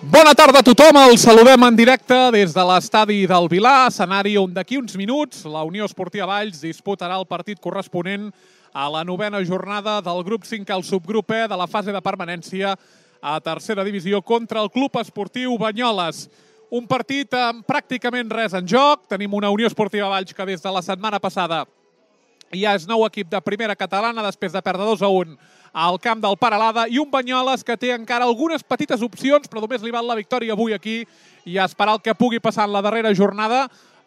Bona tarda a tothom, els saludem en directe des de l'estadi del Vilar, escenari on d'aquí uns minuts la Unió Esportiva Valls disputarà el partit corresponent a la novena jornada del grup 5 al subgrup E de la fase de permanència a tercera divisió contra el Club Esportiu Banyoles. Un partit amb pràcticament res en joc. Tenim una Unió Esportiva Valls que des de la setmana passada ja és nou equip de primera catalana després de perdre 2-1 al camp del Peralada i un Banyoles que té encara algunes petites opcions, però només li val la victòria avui aquí i a esperar el que pugui passar en la darrera jornada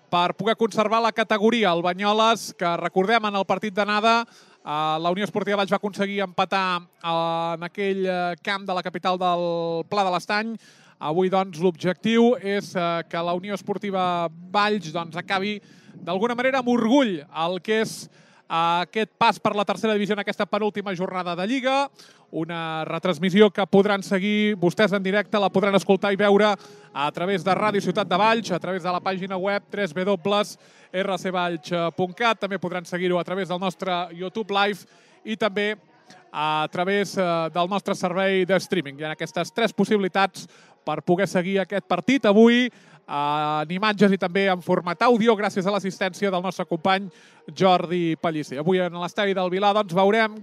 per poder conservar la categoria. El Banyoles, que recordem en el partit d'anada, la Unió Esportiva Valls va aconseguir empatar en aquell camp de la capital del Pla de l'Estany. Avui, doncs, l'objectiu és que la Unió Esportiva Valls acabi d'alguna manera amb orgull el que és aquest pas per la tercera divisió en aquesta penúltima jornada de Lliga. Una retransmissió que podran seguir vostès en directe, la podran escoltar i veure a través de Ràdio Ciutat de Valls, a través de la pàgina web www.rcvalls.cat. També podran seguir-ho a través del nostre YouTube Live i també a través del nostre servei de streaming. Hi ha aquestes tres possibilitats per poder seguir aquest partit avui en imatges i també en format àudio, gràcies a l'assistència del nostre company Jordi Pellicer. Avui en l'estadi del Vilar veurem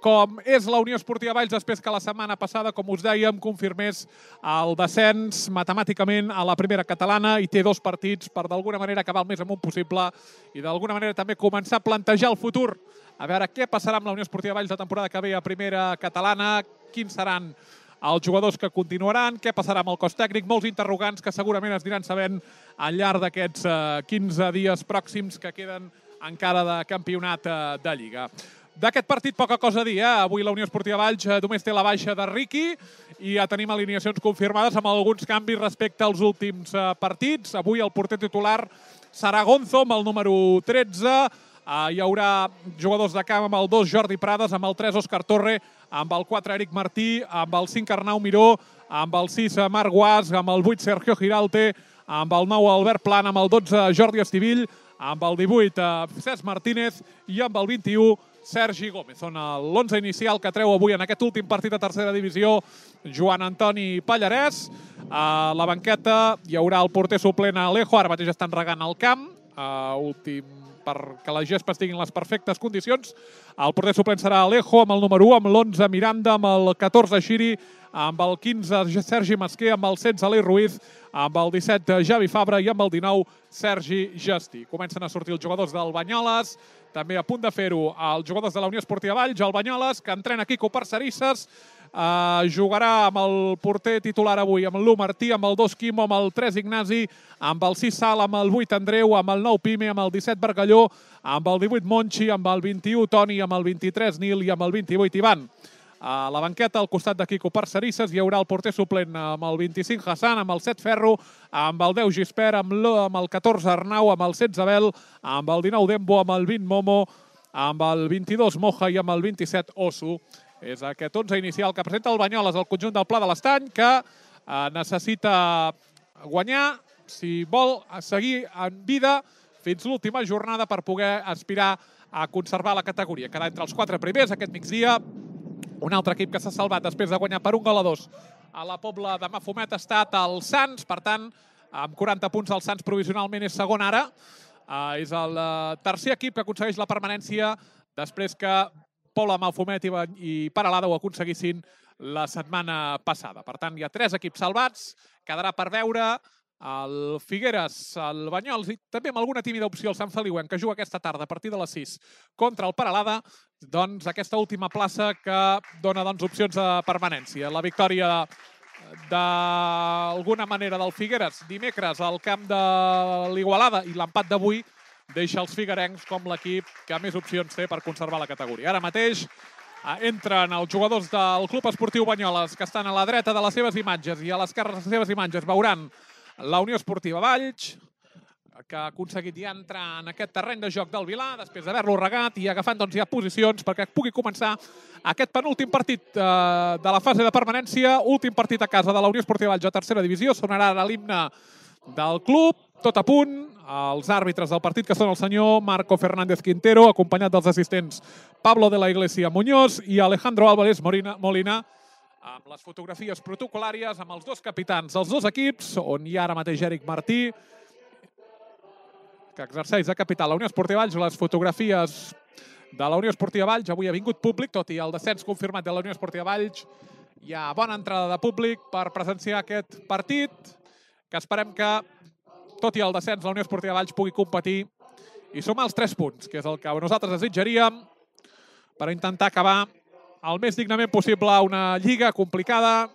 com és la Unió Esportiva Valls després que la setmana passada, com us dèiem, confirmés el descens matemàticament a la primera catalana i té dos partits per d'alguna manera acabar el més amunt possible i d'alguna manera també començar a plantejar el futur. A veure què passarà amb la Unió Esportiva Valls la temporada que ve a primera catalana, quins seran els jugadors que continuaran, què passarà amb el cos tècnic, molts interrogants que segurament es diran sabent al llarg d'aquests 15 dies pròxims que queden encara de campionat de Lliga. D'aquest partit poca cosa a dir, Avui la Unió Esportiva Valls només té la baixa de Riqui i ja tenim alineacions confirmades amb alguns canvis respecte als últims partits. Avui el porter titular serà Gonzo amb el número 13, hi haurà jugadors de camp amb el 2 Jordi Prades, amb el 3 Òscar Torre, amb el 4 Eric Martí, amb el 5 Arnau Miró, amb el 6 Marc Guas, amb el 8 Sergio Giralte, amb el 9 Albert Plan, amb el 12 Jordi Estivill, amb el 18 Cesc Martínez i amb el 21 Sergi Gómez. Són l'11 inicial que treu avui en aquest últim partit de tercera divisió Joan Antoni Pallarès. A la banqueta hi haurà el porter suplent Alejo, ara mateix estan regant el camp, perquè la gespa estigui en les perfectes condicions. El porter suplent serà Alejo, amb el número 1, amb l'11 Miranda, amb el 14 Xiri, amb el 15 Sergi Masquer, amb el 16 Alei Ruiz, amb el 17 Javi Fabra i amb el 19 Sergi Gestí. Comencen a sortir els jugadors del Banyoles, també a punt de fer-ho els jugadors de la Unió Esportiva Valls, el Banyoles, que entrena Quico Parcerisses, jugarà amb el porter titular avui, amb l'1 Martí, amb el 2 Quimo, amb el 3 Ignasi, amb el 6 Sal, amb el 8 Andreu, amb el 9 Pime, amb el 17 Bargalló, amb el 18 Monchi, amb el 21 Toni, amb el 23 Nil i amb el 28 Ivan. A la banqueta, al costat de Quico Parcerisses, hi haurà el porter suplent amb el 25 Hassan, amb el 7 Ferro, amb el 10 Gispert, amb el 14 Arnau, amb el 16 Abel, amb el 19 Dembo, amb el 20 Momo, amb el 22 Moja i amb el 27 Osu. És aquest 11 inicial que presenta el Banyoles al conjunt del Pla de l'Estany, que necessita guanyar si vol seguir en vida fins l'última jornada per poder aspirar a conservar la categoria. Quedar entre els 4 primers aquest migdia. Un altre equip que s'ha salvat després de guanyar per 1-2 a la Pobla de Mafumet ha estat el Sants. Per tant, amb 40 punts el Sants provisionalment és segon ara. És el tercer equip que aconsegueix la permanència després que Pobla, Mafumet i Peralada ho aconseguissin la setmana passada. Per tant, hi ha 3 equips salvats. Quedarà per veure el Figueres, el Banyoles i també amb alguna tímida opció el Sant Feliuenc, que juga aquesta tarda a partir de les 6 contra el Peralada, doncs aquesta última plaça que dona opcions de permanència. La victòria d'alguna manera del Figueres dimecres al camp de l'Igualada i l'empat d'avui deixa els figuerencs com l'equip que més opcions té per conservar la categoria. Ara mateix entren els jugadors del Club Esportiu Banyoles, que estan a la dreta de les seves imatges i a l'esquerra de les seves imatges veuran la Unió Esportiva Valls, que ha aconseguit ja entrar en aquest terreny de joc del Vilar després d'haver-lo regat i agafant ja posicions perquè pugui començar aquest penúltim partit de la fase de permanència, últim partit a casa de la Unió Esportiva Valls a tercera divisió. Sonarà ara l'himne del club, tot a punt. Els àrbitres del partit, que són el senyor Marco Fernández Quintero, acompanyat dels assistents Pablo de la Iglesia Muñoz i Alejandro Álvarez Molina, amb les fotografies protocolàries, amb els dos capitans dels dos equips, on hi ha ara mateix Eric Martí, que exerceix de capità a la Unió Esportiva Valls. Les fotografies de la Unió Esportiva Valls. Avui ha vingut públic, tot i el descens confirmat de la Unió Esportiva Valls. Hi ha bona entrada de públic per presenciar aquest partit, que esperem que, tot i el descens, la Unió Esportiva Valls pugui competir i sumar els 3 punts, que és el que nosaltres desitjaríem, per intentar acabar el més dignament possible una lliga complicada,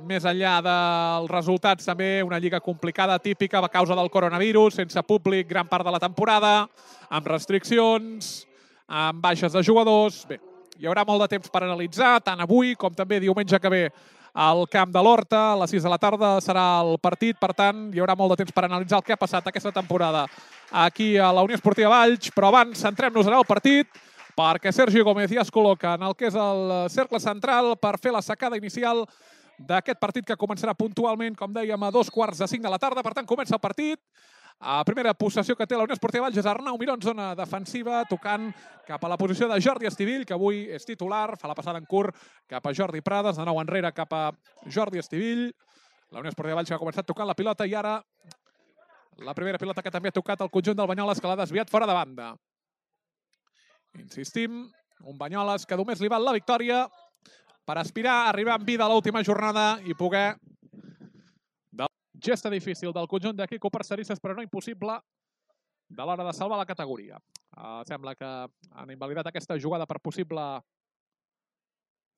més enllà dels resultats també una lliga complicada típica a causa del coronavirus, sense públic gran part de la temporada, amb restriccions, amb baixes de jugadors. Bé, hi haurà molt de temps per analitzar, tant avui com també diumenge que ve al camp de l'Horta. A les 6 de la tarda serà el partit, per tant, hi haurà molt de temps per analitzar el que ha passat aquesta temporada aquí a la Unió Esportiva Valls, però abans centrem-nos en el partit, perquè Sergi Gómez ja es col·loca en el que és el cercle central per fer la sacada inicial d'aquest partit, que començarà puntualment, com dèiem, a 2:45 de la tarda. Per tant, comença el partit. La primera possessió que té la Unió Esportiva Valls és Arnau Miró en zona defensiva, tocant cap a la posició de Jordi Estivill, que avui és titular, fa la passada en curt cap a Jordi Prades, de nou enrere cap a Jordi Estivill. La Unió Esportiva Valls que ha començat tocant la pilota i ara la primera pilota que també ha tocat el conjunt del Banyoles, que l'ha desviat fora de banda. Insistim, un Banyoles que només li val la victòria per aspirar a arribar amb vida a l'última jornada i poder... Gesta difícil del conjunt de Quico Parcerisses, però no impossible de l'hora de salvar la categoria. Sembla que han invalidat aquesta jugada per possible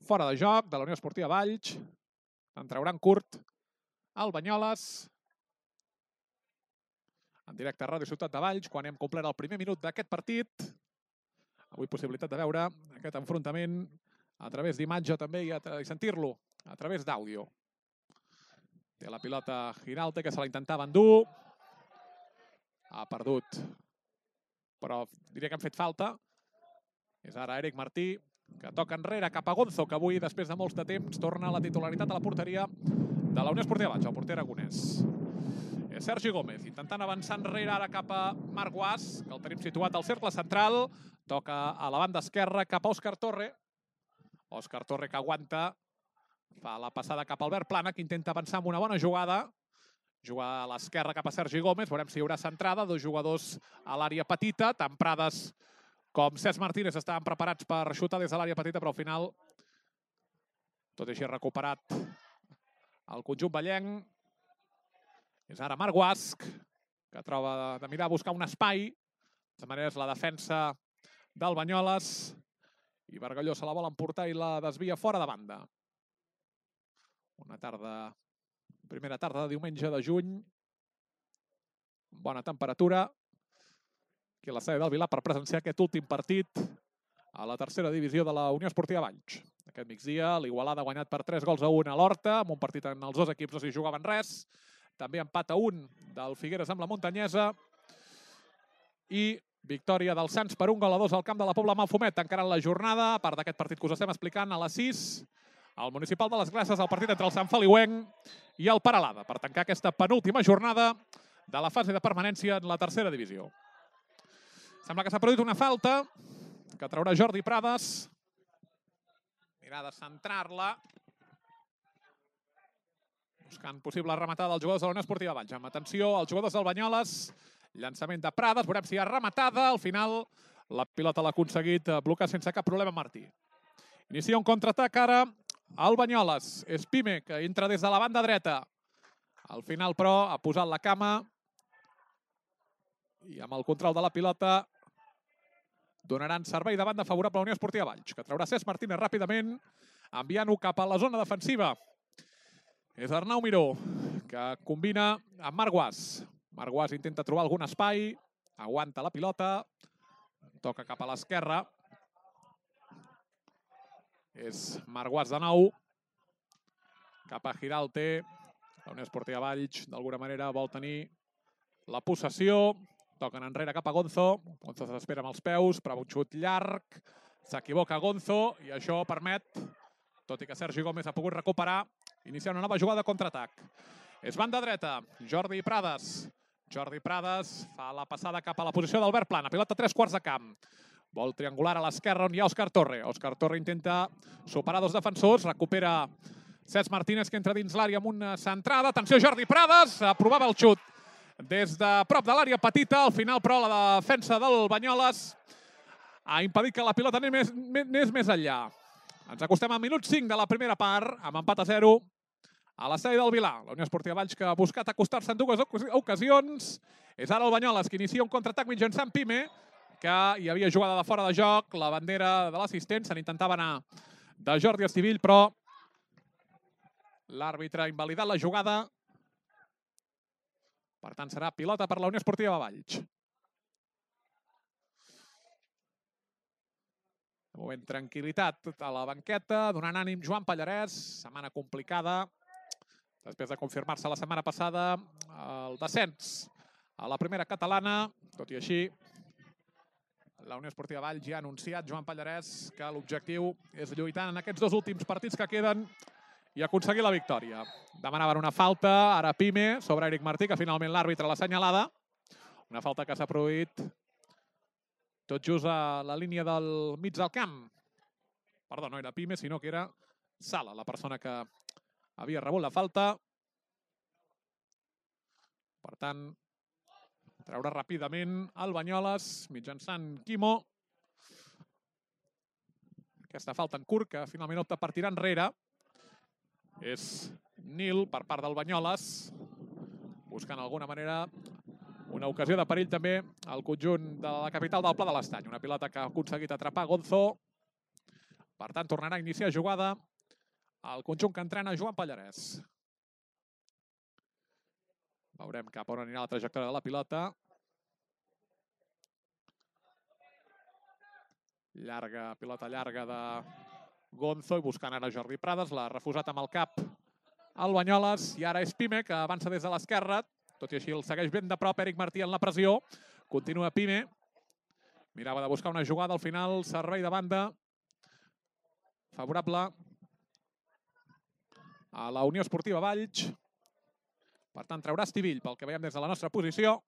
fora de joc de la Unió Esportiva Valls. En trauran curt el Banyoles. En directe a Ràdio Ciutat de Valls, quan hem complert el primer minut d'aquest partit. Avui possibilitat de veure aquest enfrontament a través d'imatge també i sentir-lo a través d'àudio. Té la pilota Giralte, que se la intentava endur. Ha perdut, però diria que han fet falta. És ara Eric Martí, que toca enrere cap a Gonzo, que avui, després de molts de temps, torna a la titularitat a la porteria de la Unió Esportiva Valls, el porter aragonès. És Sergi Gómez, intentant avançar enrere ara cap a Marc Guas, que el tenim situat al cercle central. Toca a la banda esquerra cap a Òscar Torre. Òscar Torre que aguanta. Fa la passada cap a Albert Plana, que intenta avançar amb una bona jugada. Juga a l'esquerra cap a Sergi Gómez. Veurem si hi haurà centrada. 2 jugadors a l'àrea petita. Tant Prades com Cesc Martínez estaven preparats per xutar des de l'àrea petita, però al final, tot i així recuperat el conjunt vallenc. És ara Marc Guasc, que troba de mirar a buscar un espai. De manera és la defensa del Banyoles. I Bargalló se la vol emportar i la desvia fora de banda. Una tarda, primera tarda de diumenge de juny. Bona temperatura. Aquí a l'estadi del Vilar per presenciar aquest últim partit a la tercera divisió de la Unió Esportiva Valls. Aquest migdia l'Igualada ha guanyat per 3-1 a l'Horta, amb un partit en els dos equips no s'hi jugaven res. També empat a 1 del Figueres amb la Muntanyesa. I victòria del Sants per 1-2 al camp de la Pobla Malfumet, encara en la jornada, a part d'aquest partit que us estem explicant, a les 6, al Municipal de les Glaces, el partit entre el Sant Feliuenc i el Peralada, per tancar aquesta penúltima jornada de la fase de permanència en la tercera divisió. Sembla que s'ha produït una falta, que traurà Jordi Prades. Mirà de centrar-la. Buscant possible rematada dels jugadors de la Unió Esportiva Valls. Amb atenció als jugadors del Banyoles. Llançament de Prades, veurem si hi ha rematada. Al final, la pilota l'ha aconseguit blocar sense cap problema Martí. Inicia un contraatac ara el Banyoles. És Pime, que entra des de la banda dreta. Al final, però, ha posat la cama. I amb el control de la pilota donaran servei de banda favorable a la Unió Esportiva Valls, que traurà Cesc Martínez ràpidament, enviant-ho cap a la zona defensiva. És Arnau Miró, que combina amb Marc Guas. Marc Guas intenta trobar algun espai, aguanta la pilota, toca cap a l'esquerra. És Marc Guas de nou, cap a Giralte. La Unió Esportiva Valls, d'alguna manera, vol tenir la possessió. Toquen enrere cap a Gonzo. Gonzo s'espera amb els peus, però un xut llarg. S'equivoca Gonzo i això permet, tot i que Sergi Gómez ha pogut recuperar, iniciar una nova jugada de contraatac. És banda dreta, Jordi Prades. Jordi Prades fa la passada cap a la posició d'Albert Plana. Pilota a 3 quarts de camp. Vol triangular a l'esquerra on hi ha Òscar Torre. Òscar Torre intenta superar dos defensors, recupera Cesc Martínez, que entra dins l'àrea amb una centrada. Atenció, Jordi Prades, aprovava el xut des de prop de l'àrea petita. Al final, però, la defensa del Banyoles ha impedit que la pilota anés més enllà. Ens acostem al minut 5 de la primera part, amb empat a 0 a l'estadi del Vilar. La Unió Esportiva Valls, que ha buscat acostar-se en dues ocasions. És ara el Banyoles, que inicia un contraatac mitjançant Pime, que hi havia jugada de fora de joc, la bandera de l'assistent, se n'intentava anar de Jordi Estivill, però l'àrbitre ha invalidat la jugada. Per tant, serà pilota per la Unió Esportiva Valls. De moment, tranquil·litat a la banqueta, donant ànim Joan Pallarès. Setmana complicada, després de confirmar-se la setmana passada el descens a la primera catalana. Tot i així, la Unió Esportiva Valls ja ha anunciat, Joan Pallarès, que l'objectiu és lluitar en aquests dos últims partits que queden i aconseguir la victòria. Demanaven una falta, ara Pime, sobre Eric Martí, que finalment l'àrbitre l'ha assenyalada. Una falta que s'ha produït tot just a la línia del mig del camp. Perdó, no era Pime, sinó que era Sala, la persona que havia rebut la falta. Per tant, treure ràpidament el Banyoles mitjançant Quimo. Aquesta falta en curt, que finalment opta per tirar enrere. És Nil per part del Banyoles, buscant d'alguna manera una ocasió de perill també al conjunt de la capital del Pla de l'Estany. Una pilota que ha aconseguit atrapar Gonzo. Per tant, tornarà a iniciar jugada el conjunt que entrena Joan Pallarès. Veurem cap on anirà la trajectòria de la pilota. Pilota llarga de Gonzo i buscant ara Jordi Prades. L'ha refusat amb el cap el Banyoles. I ara és Pime, que avança des de l'esquerra. Tot i així el segueix ben de prop Eric Martí en la pressió. Continua Pime. Mirava de buscar una jugada. Al final, servei de banda favorable a la Unió Esportiva Valls. Per tant, traurà Estivill, pel que veiem des de la nostra posició.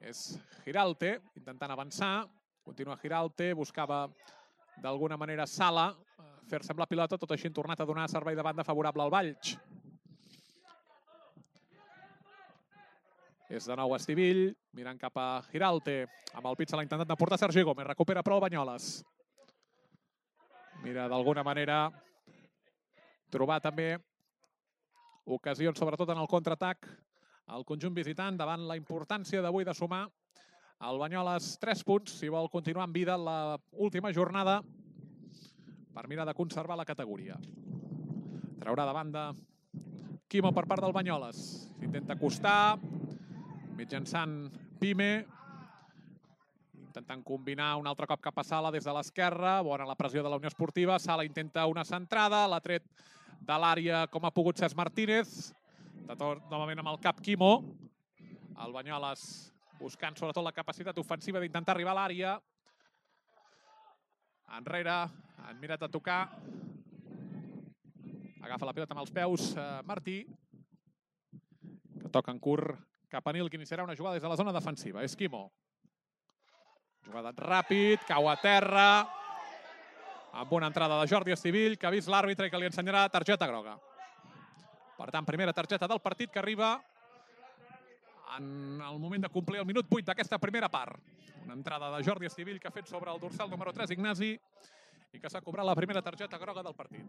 És Giralte, intentant avançar. Continua Giralte, buscava d'alguna manera Sala fer-se amb la pilota, tot així han tornat a donar servei de banda favorable al Valls. És de nou Estivill, mirant cap a Giralte. Amb el pit se l'ha intentat de portar Sergi Gómez. Recupera però el Banyoles. Mira d'alguna manera trobar també ocasions, sobretot en el contraatac, el conjunt visitant, davant la importància d'avui de sumar al Banyoles 3 punts, si vol continuar en vida en l'última jornada, per mirar de conservar la categoria. Traurà de banda Quimo per part del Banyoles. S'intenta acostar, mitjançant Pime, intentant combinar un altre cop cap a Sala des de l'esquerra. Bona la pressió de la Unió Esportiva. Sala intenta una centrada, l'ha tret de l'àrea com ha pogut Cesc Martínez. De tot, novament amb el cap Quimo. El Banyoles buscant sobretot la capacitat ofensiva d'intentar arribar a l'àrea. Enrere, han mirat a tocar. Agafa la pilota amb els peus Martí, que toca en curt cap a Nil, que iniciarà una jugada des de la zona defensiva. És Quimo. Jugada ràpid, cau a terra, amb una entrada de Jordi Estivill, que ha vist l'àrbitre i que li ensenyarà targeta groga. Per tant, primera targeta del partit que arriba en el moment de complir el minut 8 d'aquesta primera part. Una entrada de Jordi Estivill que ha fet sobre el dorsal número 3, Ignasi, i que s'ha cobrat la primera targeta groga del partit.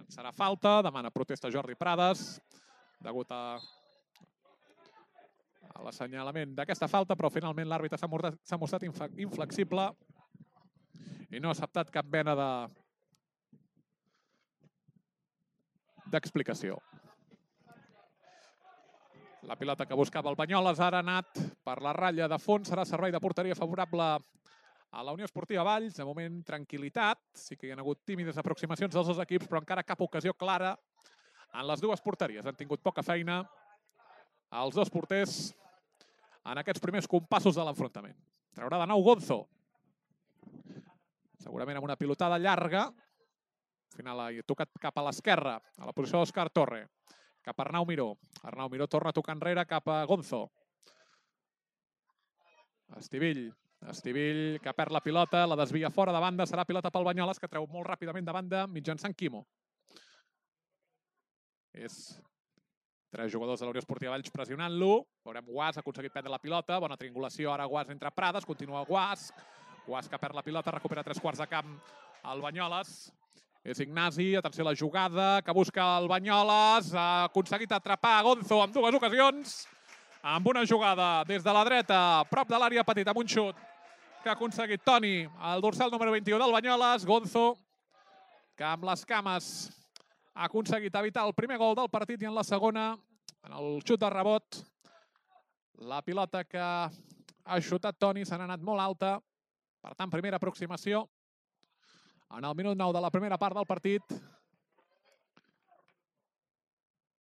Serà falta, demana protesta Jordi Prades, degut a l'assenyalament d'aquesta falta, però finalment l'àrbitre s'ha mostrat inflexible i no ha acceptat cap mena d'explicació. La pilota que buscava el Banyoles ara ha anat per la ratlla de fons, serà servei de porteria favorable a la Unió Esportiva Valls. De moment, tranquil·litat. Sí que hi ha hagut tímides aproximacions dels dos equips, però encara cap ocasió clara en les dues porteries. Han tingut poca feina els dos porters en aquests primers compassos de l'enfrontament. Traurà de nou Gonzo. Segurament amb una pilotada llarga. Al final ha tocat cap a l'esquerra, a la posició d'Òscar Torre. Cap a Arnau Miró. Arnau Miró torna a tocar enrere cap a Gonzo. Estivill, que perd la pilota, la desvia fora de banda, serà pilota pel Banyoles, que treu molt ràpidament de banda mitjançant Quimo. És 3 jugadors de la Unió Esportiva Valls pressionant-lo. Veurem Guas, ha aconseguit prendre la pilota, bona triangulació, ara Guas entre Prades, continua Guas que perd la pilota, recupera 3 quarts de camp el Banyoles. És Ignasi, atenció a la jugada, que busca el Banyoles, ha aconseguit atrapar Gonzo en 2 ocasions, amb una jugada des de la dreta, prop de l'àrea petita, amb un xut que ha aconseguit Toni, el dorsal número 21 del Banyoles. Gonzo, que amb les cames ha aconseguit evitar el primer gol del partit, i en la segona, en el xut de rebot, la pilota que ha xutat Toni s'ha anat molt alta. Per tant, primera aproximació en el minut 9 de la primera part del partit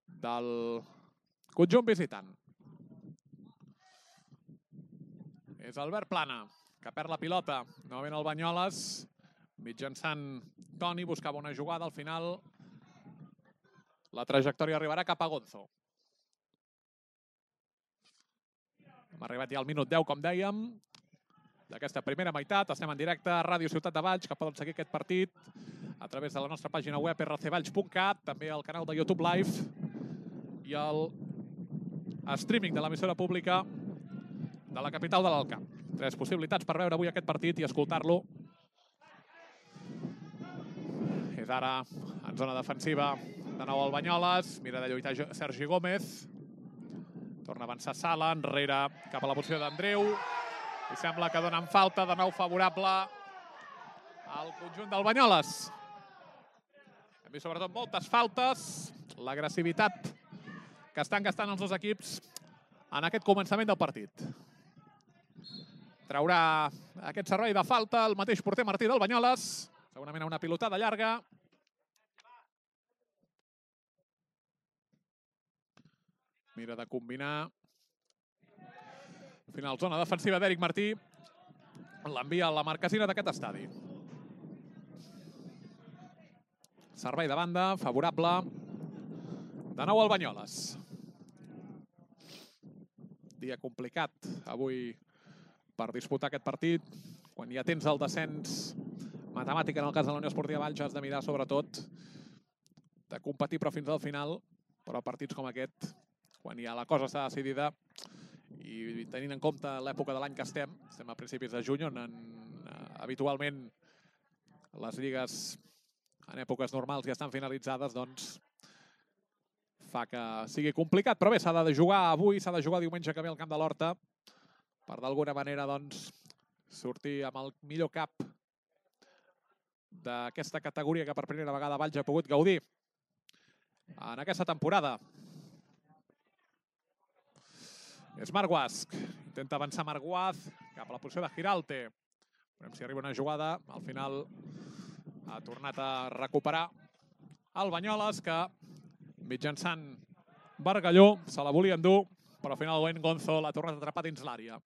del conjunt visitant. És Albert Plana, que perd la pilota. Novament el Banyoles, mitjançant Toni, buscava una jugada. Al final, la trajectòria arribarà cap a Gonzo. Hem arribat ja al minut 10, com dèiem, d'aquesta primera meitat. Estem en directe a Ràdio Ciutat de Valls, que poden seguir aquest partit a través de la nostra pàgina web rcvalls.cat, també al canal de YouTube Live i el streaming de l'emissora pública de la capital de l'Alt Camp. 3 possibilitats per veure avui aquest partit i escoltar-lo. És ara en zona defensiva de nou el Banyoles, mira de lluitar Sergi Gómez, torna a avançar Sala, enrere cap a la posició d'Andreu, i sembla que donen falta, de nou favorable al conjunt del Banyoles. Hem vist sobretot moltes faltes, l'agressivitat que estan gastant els dos equips en aquest començament del partit. Traurà aquest servei de falta el mateix porter Martí del Banyoles, segurament a una pilotada llarga. Mira de combinar. Al final, zona defensiva d'Eric Martí. L'envia a la marquesina d'aquest estadi. Servei de banda, favorable. De nou el Banyoles. Dia complicat avui per disputar aquest partit. Quan ja tens el descens matemàtic, en el cas de la Unió Esportiva Valls, has de mirar sobretot de competir, però fins al final. Però partits com aquest, quan ja la cosa està decidida, i tenint en compte l'època de l'any que estem a principis de juny, on habitualment les lligues en èpoques normals ja estan finalitzades, doncs fa que sigui complicat. Però bé, s'ha de jugar avui, s'ha de jugar diumenge que ve al Camp de l'Horta, per d'alguna manera doncs sortir amb el millor cap d'aquesta categoria que per primera vegada Valls ha pogut gaudir en aquesta temporada. És Marc Guasc, intenta avançar Marc Guasc cap a la posició de Giralte. Veurem si arriba una jugada. Al final ha tornat a recuperar el Banyoles, que mitjançant Bargalló se la volia endur, però finalment Gonzo l'ha tornat a atrapar dins l'àrea.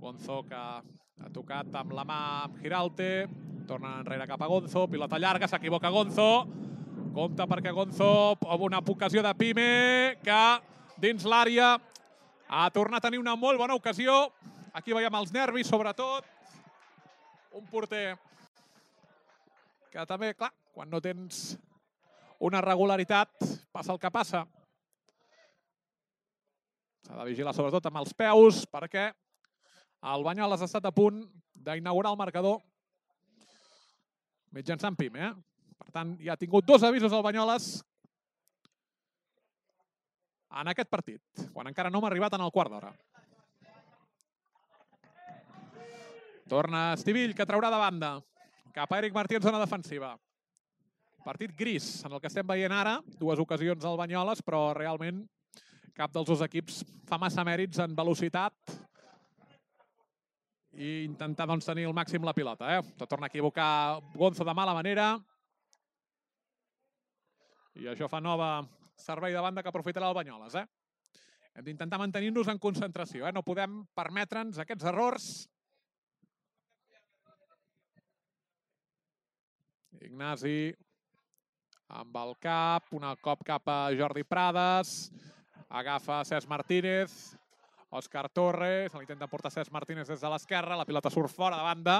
Gonzo, que ha tocat amb la mà amb Giralte, torna enrere cap a Gonzo, pilota llarga, s'equivoca Gonzo, compte perquè Gonzo, amb una ocasió de Pime, que dins l'àrea ha tornat a tenir una molt bona ocasió. Aquí veiem els nervis, sobretot. Un porter que també, clar, quan no tens una regularitat, passa el que passa. S'ha de vigilar sobretot amb els peus, perquè el Banyoles ha estat a punt d'inaugurar el marcador mitjançant Pime. Per tant, ja ha tingut 2 avisos al Banyoles en aquest partit, quan encara no hem arribat en el quart d'hora. Torna Estivill, que traurà de banda cap a Eric Martí en zona defensiva. Partit gris, en el que estem veient ara. 2 ocasions al Banyoles, però realment cap dels dos equips fa massa mèrits en velocitat i intentar doncs, tenir al màxim la pilota. Torna a equivocar Gonzo de mala manera. I això fa nova servei de banda que aprofitarà el Banyoles. Hem d'intentar mantenir-nos en concentració. No podem permetre'ns aquests errors. Ignasi amb el cap, un cop cap a Jordi Prades. Agafa Cesc Martínez. Òscar Torre, se l'intenta portar Cesc Martínez des de l'esquerra, la pilota surt fora de banda.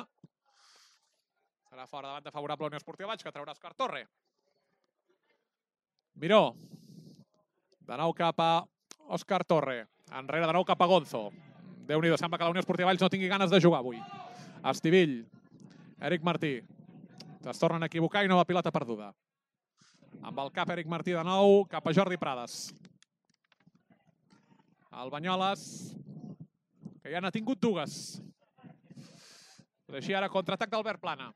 Serà fora de banda favorable a Unió Esportiva Valls, que traurà Òscar Torre. Miró. De nou cap a Òscar Torre. Enrere de nou cap a Gonzo. Déu-n'hi-do, sembla que la Unió Esportiva Valls no tingui ganes de jugar avui. Estivill. Eric Martí. Es tornen a equivocar i nova pilota perduda. Amb el cap Eric Martí de nou, cap a Jordi Prades. El Banyoles, que ja n'ha tingut dues. Així ara contraatac d'Albert Plana.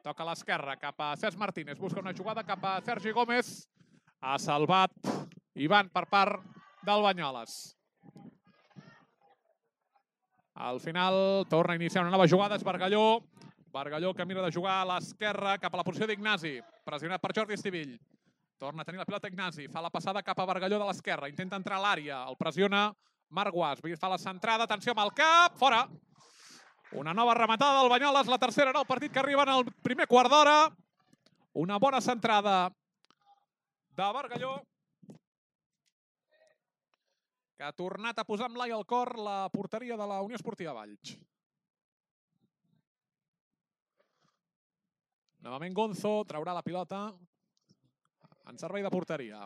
Toca a l'esquerra, cap a Cesc Martínez. Busca una jugada cap a Sergi Gómez. Ha salvat Ivan per part del Banyoles. Al final torna a iniciar una nova jugada, és Bargalló. Bargalló que mira de jugar a l'esquerra cap a la posició d'Ignasi. Pressionat per Jordi Estivill. Torna a tenir la pilota Ignasi. Fa la passada cap a Bargalló de l'esquerra. Intenta entrar a l'àrea. El pressiona Marc Guas. Fa la centrada. Atenció amb el cap. Fora. Una nova rematada del Banyoles. La tercera en el partit que arriba en el primer quart d'hora. Una bona centrada de Bargalló, que ha tornat a posar amb l'ai al cor la porteria de la Unió Esportiva Valls. Novament Gonzo traurà la pilota en servei de porteria.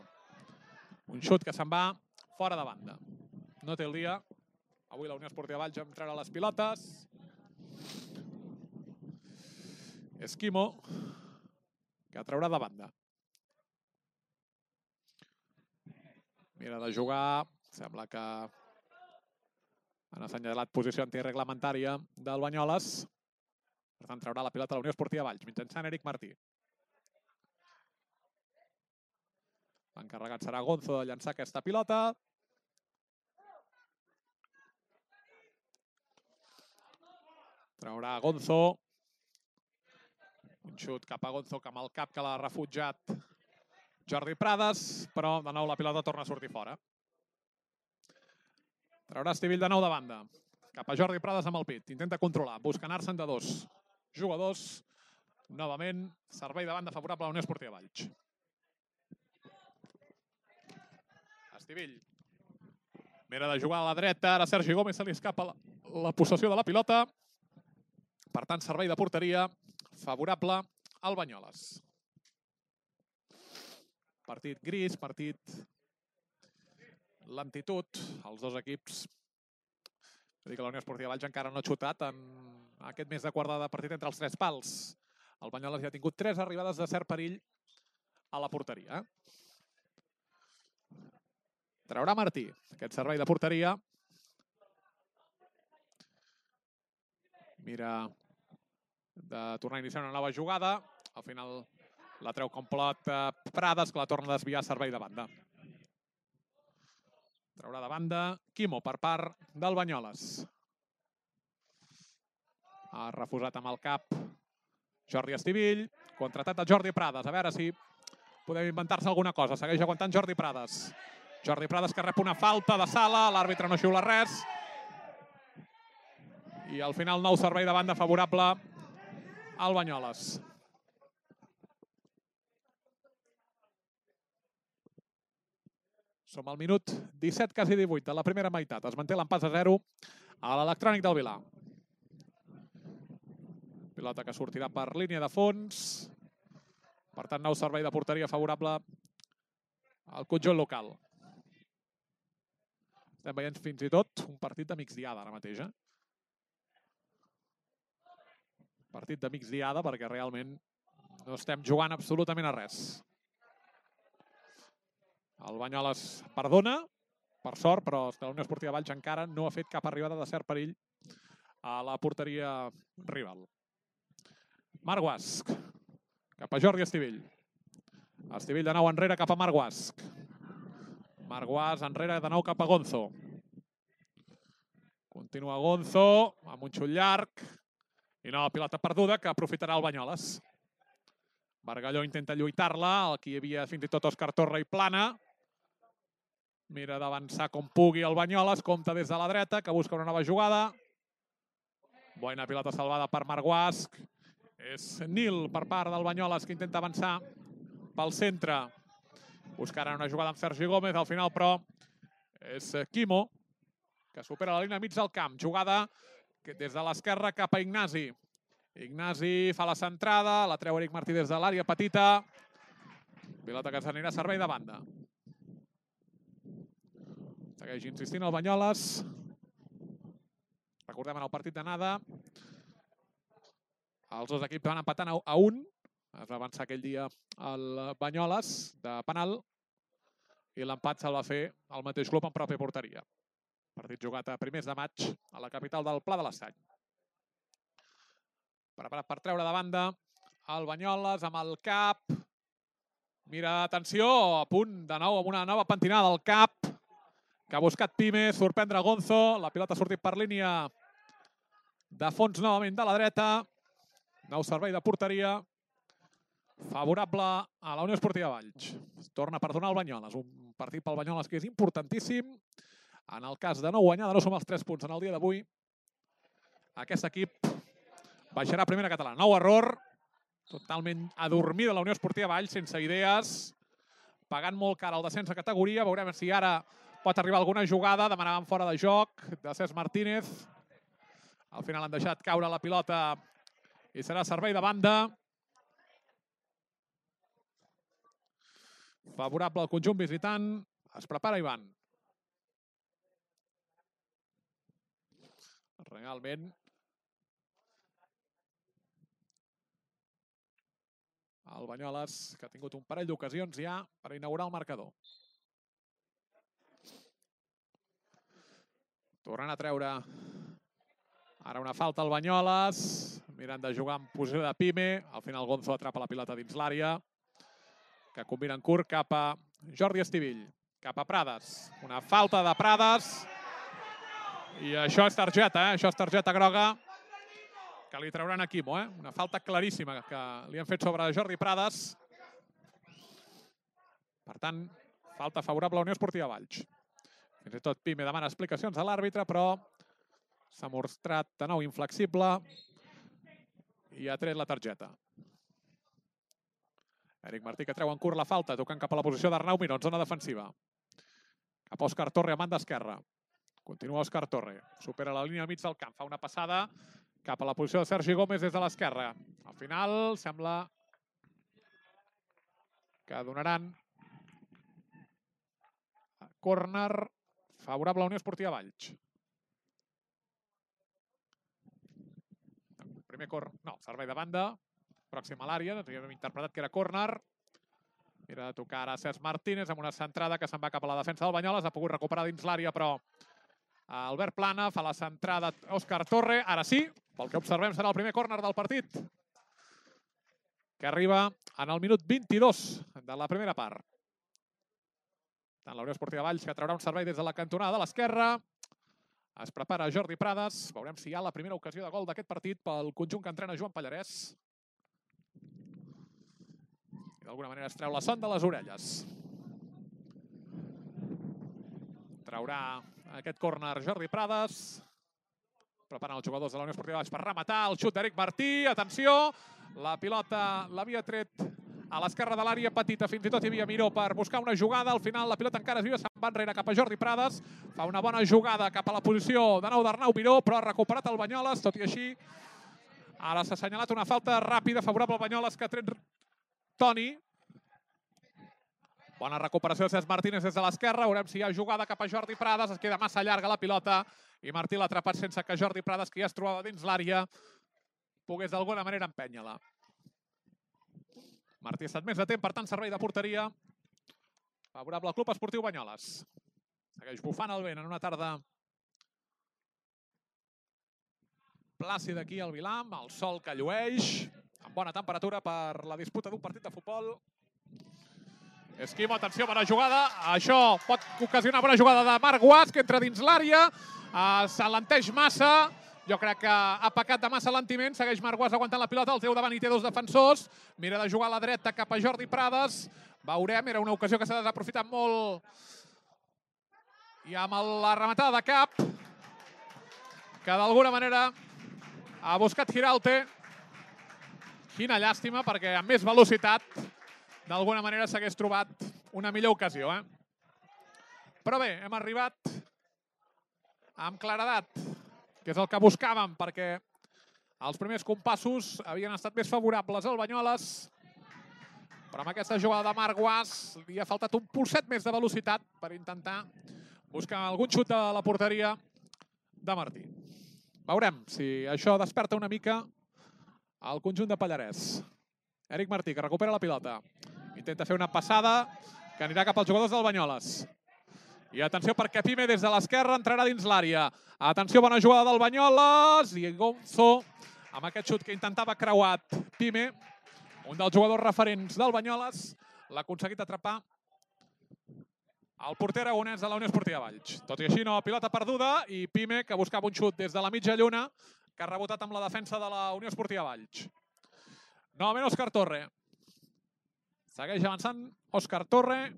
Un xut que se'n va fora de banda. No té el dia. Avui la Unió Esportiva Valls va treure les pilotes. Esquimo, que traurà de banda. Mira de jugar. Sembla que han assenyalat posició antireglamentària del Banyoles. Per tant, traurà la pilota a la Unió Esportiva Valls, mitjançant Eric Martí. L'encarregat serà Gonzo de llançar aquesta pilota. Traurà Gonzo. Un xut cap a Gonzo, amb el cap que l'ha refutjat Jordi Prades, però de nou la pilota torna a sortir fora. Traurà Estivill de nou de banda. Cap a Jordi Prades amb el pit. Intenta controlar. Busca anar-se'n de dos jugadors. Novament, servei de banda favorable a la Unió Esportiva Valls. Estivill. Mira de jugar a la dreta. Ara Sergi Gómez se li escapa la possessió de la pilota. Per tant, servei de porteria favorable al Banyoles. Partit gris, partit lentitud. Els dos equips. Vull dir que la Unió Esportiva Valls encara no ha xutat en aquest mes de quart de partit entre els tres pals. El Banyoles ja ha tingut 3 arribades de cert perill a la porteria. Traurà Martí aquest servei de porteria. Mira de tornar a iniciar una nova jugada. Al final la treu complot Prades, que la torna a desviar a servei de banda. Traurà de banda Quimo per part del Banyoles. Ha refusat amb el cap Jordi Estivill. Contratat de Jordi Prades. A veure si podem inventar-se alguna cosa. Segueix aguantant Jordi Prades. Jordi Prades que rep una falta de sala. L'àrbitre no xiula res. I al final nou servei de banda favorable al Banyoles. Som al minut 17, quasi 18 de la primera meitat. Es manté l'empat a 0 a l'Electrònic del Vilar. Pilota que sortirà per línia de fons. Per tant, nou servei de porteria favorable al conjunt local. Estem veient fins i tot un partit de migdiada ara mateix. Partit de migdiada perquè realment no estem jugant absolutament a res. El Banyoles perdona, per sort, però la Unió Esportiva Valls encara no ha fet cap arribada de cert perill a la porteria rival. Marc Guasc, cap a Jordi Estivill. Estivill de nou enrere cap a Marc Guasc. Marc Guasc enrere de nou cap a Gonzo. Continua Gonzo amb un xut llarg. I nova pilota perduda que aprofitarà el Banyoles. Bargalló intenta lluitar-la. Aquí hi havia fins i tot Òscar Torre i Plana. Mira d'avançar com pugui el Banyoles. Compta des de la dreta, que busca una nova jugada. Bona pilota salvada per Marc Guasc. És Nil per part del Banyoles, que intenta avançar pel centre. Buscarà una jugada amb Sergi Gómez. Al final, però, és Quimo que supera la línia mig del camp. Jugada des de l'esquerra cap a Ignasi. Ignasi fa la centrada, la treu Eric Martí des de l'àrea petita. Pilota que s'anirà a servei de banda. Segueix insistint el Banyoles. Recordem en el partit d'anada, els dos equips van empatant a 1. Es va avançar aquell dia el Banyoles de penal i l'empat se'l va fer el mateix club en pròpia porteria. Partit jugat a primers de maig a la capital del Pla de l'Estany. Preparat per treure de banda el Banyoles amb el cap. Mira, atenció, a punt de nou amb una nova pentinada al cap que ha buscat Pime, sorprendre Gonzo. La pilota ha sortit per línia de fons novament de la dreta. Nou servei de porteria favorable a la Unió Esportiva Valls. Es torna a perdonar el Banyoles. Un partit pel Banyoles que és importantíssim. En el cas de no guanyar, de no sumar els 3 punts en el dia d'avui, aquest equip baixarà a primera catalana. Nou error, totalment adormida la Unió Esportiva Valls, sense idees, pagant molt cara el descens de categoria. Veurem si ara pot arribar alguna jugada. Demanaven fora de joc de Cesc Martínez. Al final han deixat caure la pilota i serà servei de banda. Favorable al conjunt visitant. Es prepara Ivan. Realment el Banyoles, que ha tingut un parell d'ocasions ja per inaugurar el marcador. Tornant a treure ara una falta al Banyoles. Mirant de jugar en posició de Pime. Al final Gonzo atrapa la pilota dins l'àrea, que combina en curt cap a Jordi Estivill. Cap a Prades. Una falta de Prades. I això és targeta, això és targeta groga que li trauran a Quimo. Una falta claríssima que li han fet sobre Jordi Prades. Per tant, falta favorable a la Unió Esportiva Valls. Fins i tot Pime demana explicacions a l'àrbitre, però s'ha mostrat de nou inflexible i ha tret la targeta. Eric Martí que treu en curt la falta, tocant cap a la posició d'Arnau Miró, en zona defensiva. Cap a Òscar Torre a banda esquerra. Continua Òscar Torre. Supera la línia al mig del camp. Fa una passada cap a la posició de Sergi Gómez des de l'esquerra. Al final sembla que donaran córner favorable a la Unió Esportiva Valls. Primer córner, no, servei de banda. Pròxim a l'àrea, doncs havíem interpretat que era córner. Mira de tocar ara Cesc Martínez amb una centrada que se'n va cap a la defensa del Banyoles. Ha pogut recuperar dins l'àrea, però Albert Plana fa la centrada Òscar Torre. Ara sí, pel que observem serà el primer córner del partit, que arriba en el minut 22 de la primera part. Tant la Unió Esportiva Valls, que traurà un servei des de la cantonada de l'esquerra. Es prepara Jordi Prades. Veurem si hi ha la primera ocasió de gol d'aquest partit pel conjunt que entrena Joan Pallarès. I d'alguna manera es treu la son de les orelles. Traurà aquest córner Jordi Prades. Preparen els jugadors de la Unió Esportiva Valls per rematar. El xut d'Eric Martí. Atenció, la pilota l'havia tret a l'esquerra de l'àrea petita. Fins i tot hi havia Miró per buscar una jugada. Al final la pilota encara es viu, se'n va enrere cap a Jordi Prades. Fa una bona jugada cap a la posició de nou d'Arnau Miró, però ha recuperat el Banyoles. Tot i així, ara s'ha assenyalat una falta ràpida favorable al Banyoles que ha tret Toni. Bona recuperació de Cesc Martínez des de l'esquerra. Veurem si hi ha jugada cap a Jordi Prades. Es queda massa llarga la pilota i Martí l'ha atrapat sense que Jordi Prades, que ja es trobava dins l'àrea, pogués d'alguna manera empènyer-la. Martí ha estat més de temps, per tant, servei de porteria favorable al Club Esportiu Banyoles. Segueix bufant el vent en una tarda plàcida aquí al Vilam, el sol que llueix, amb bona temperatura per la disputa d'un partit de futbol. Esquimo, atenció, bona jugada. Això pot ocasionar bona jugada de Marc Guas, que entra dins l'àrea. S'alenteix massa. Jo crec que ha pecat de massa alentiment. Segueix Marc Guas aguantant la pilota. El teu davant hi té dos defensors. Mira de jugar a la dreta cap a Jordi Prades. Veurem, era una ocasió que s'ha desaprofitat molt. I amb la rematada de cap, que d'alguna manera ha buscat Giralte. Quina llàstima, perquè amb més velocitat d'alguna manera s'hagués trobat una millor ocasió. Però bé, hem arribat amb claredat, que és el que buscàvem, perquè els primers compassos havien estat més favorables al Banyoles, però amb aquesta jugada de Marc Guas li ha faltat un polset més de velocitat per intentar buscar algun xut de la porteria de Martí. Veurem si això desperta una mica el conjunt de Pallarès. Eric Martí, que recupera la pilota. Intenta fer una passada que anirà cap als jugadors del Banyoles. I atenció perquè Pime des de l'esquerra entrarà dins l'àrea. Atenció, bona jugada del Banyoles. I Gonzo, amb aquest xut que intentava creuat Pime, un dels jugadors referents del Banyoles, l'ha aconseguit atrapar el porter aragonès de la Unió Esportiva Valls. Tot i així, nova pilota perduda i Pime, que buscava un xut des de la mitja lluna, que ha rebotat amb la defensa de la Unió Esportiva Valls. Novament Òscar Torre. Segueix avançant Òscar Torre.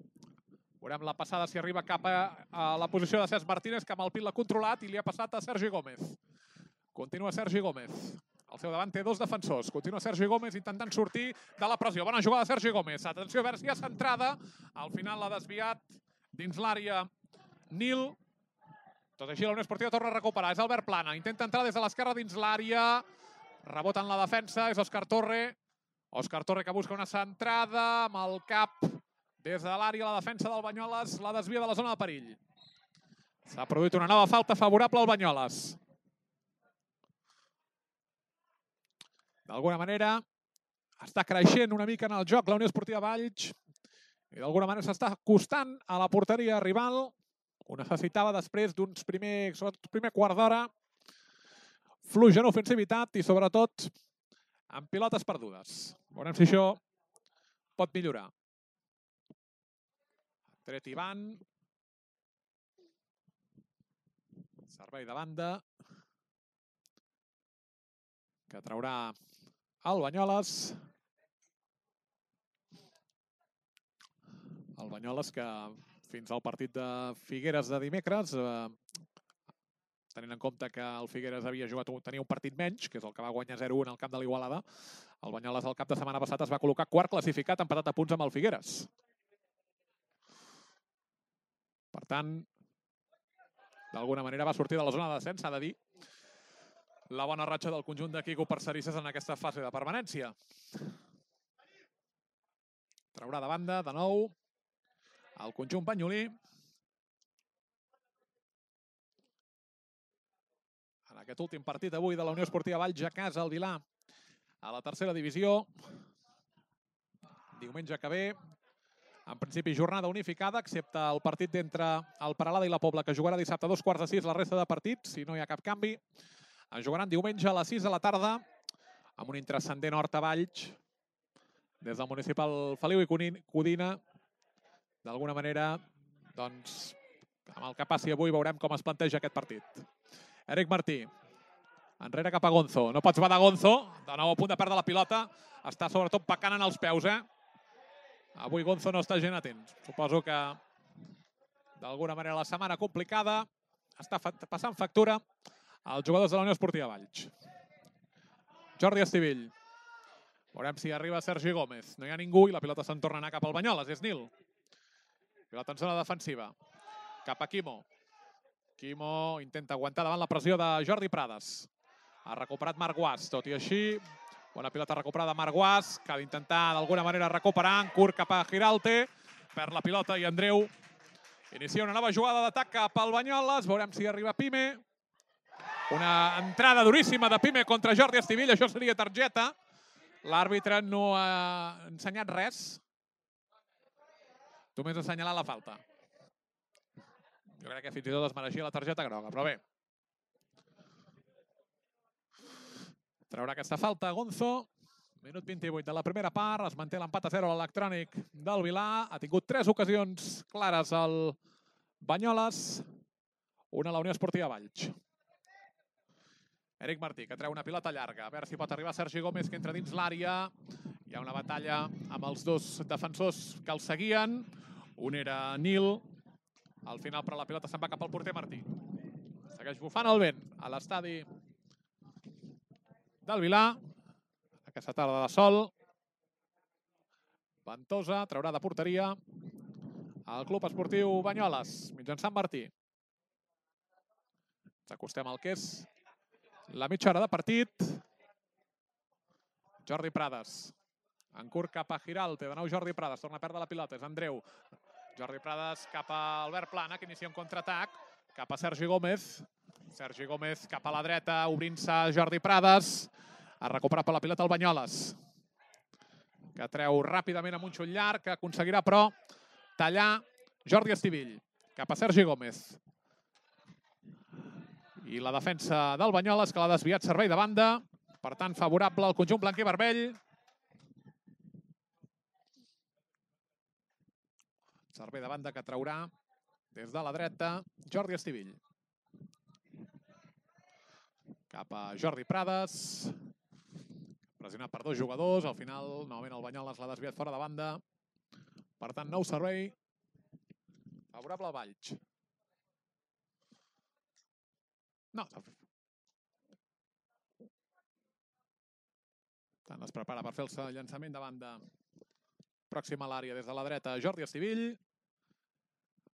Veurem la passada si arriba cap a la posició de Cesc Martínez, que amb el pit l'ha controlat i li ha passat a Sergi Gómez. Continua Sergi Gómez. Al seu davant té dos defensors. Continua Sergi Gómez intentant sortir de la pressió. Bona jugada de Sergi Gómez. Atenció, a veure si hi ha centrada. Al final l'ha desviat dins l'àrea Nil. Tot així la Unió Esportiva torna a recuperar. És Albert Plana. Intenta entrar des de l'esquerra dins l'àrea. Rebota en la defensa. És Òscar Torre. Òscar Torre que busca una centrada amb el cap des de l'àrea. La defensa del Banyoles la desvia de la zona de perill. S'ha produït una nova falta favorable al Banyoles. D'alguna manera està creixent una mica en el joc la Unió Esportiva Valls i d'alguna manera s'està acostant a la porteria rival. Ho necessitava després d'uns primer quart d'hora fluix en ofensivitat i sobretot amb pilotes perdudes. Veurem si això pot millorar. Tret Ivan. Servei de banda que traurà el Banyoles. El Banyoles que fins al partit de Figueres de dimecres, tenint en compte que el Figueres tenia un partit menys, que és el que va guanyar 0-1 al camp de l'Igualada, el Banyoles al cap de setmana passat es va col·locar quart classificat, empatat a punts amb el Figueres. Per tant, d'alguna manera va sortir de la zona de descens, s'ha de dir, la bona ratxa del conjunt de Quico Parcerisses en aquesta fase de permanència. Traurà de banda, de nou, el conjunt banyolí. En aquest últim partit avui de la Unió Esportiva Valls a casa, al Vilà, a la tercera divisió. Diumenge que ve, en principi jornada unificada, excepte el partit entre el Peralada i la Pobla, que jugarà dissabte a 2:45 la resta de partits, si no hi ha cap canvi. Es jugaran diumenge a les 6 de la tarda amb un intrascendent Horta Valls des del municipal Feliu i Codina. D'alguna manera, doncs, amb el que passi avui veurem com es planteja aquest partit. Eric Martí, enrere cap a Gonzo. No pots badar Gonzo, de nou a punt de perdre la pilota. Està sobretot pecant en els peus, Avui Gonzo no està gent atent. Suposo que d'alguna manera la setmana complicada està passant factura als jugadors de la Unió Esportiva Valls. Jordi Estivill. Veurem si arriba Sergi Gómez. No hi ha ningú i la pilota se'n torna a anar cap al Banyoles. És Nil. Pilota en zona defensiva. Cap a Quimo. Quimo intenta aguantar davant la pressió de Jordi Prades. Ha recuperat Marc Guas. Tot i així, bona pilota recuperada Marc Guas, que ha d'intentar d'alguna manera recuperar. En curt cap a Giralte. Perd la pilota i Andreu inicia una nova jugada d'atac cap al Banyoles. Veurem si arriba Pime. Una entrada duríssima de Pime contra Jordi Estivill. Això seria targeta. L'àrbitre no ha ensenyat res. Només ha assenyalat la falta. Jo crec que fins i tot es mereixia la targeta groga, però bé. Traurà aquesta falta Gonzo. Minut 28 de la primera part. Es manté l'empat a 0 a l'electrònic del Vilà. Ha tingut 3 ocasions clares al Banyoles. Una a la Unió Esportiva Valls. Eric Martí, que treu una pilota llarga. A veure si pot arribar Sergi Gómez, que entra dins l'àrea. Hi ha una batalla amb els dos defensors que el seguien. Un era Nil. Al final, però la pilota se'n va cap al porter Martí. Segueix bufant el vent a l'estadi del Vilà. Aquesta tarda de sol. Ventosa, traurà de porteria el Club Esportiu Banyoles, mitjançant Martí. Ens acostem al que és la mitja hora de partit. Jordi Prades. En curt cap a Giralt. De nou Jordi Prades. Torna a perdre la pilota. És Andreu. Jordi Prades cap a Albert Plana, que inicia un contraatac. Cap a Sergi Gómez. Sergi Gómez cap a la dreta, obrint-se Jordi Prades. Ha recuperat per la pilota el Banyoles, que treu ràpidament amb un xut llarg, que aconseguirà, però, tallar Jordi Estivill. Cap a Sergi Gómez. I la defensa del Banyoles, que l'ha desviat servei de banda. Per tant, favorable al conjunt blanc i vermell. Servei de banda que traurà des de la dreta Jordi Estivill. Cap a Jordi Prades. Pressionat per dos jugadors. Al final, novament el Banyoles l'ha desviat fora de banda. Per tant, nou servei favorable al Valls. No. Tant es prepara per fer el llançament de banda pròxim a l'àrea des de la dreta Jordi Estivill.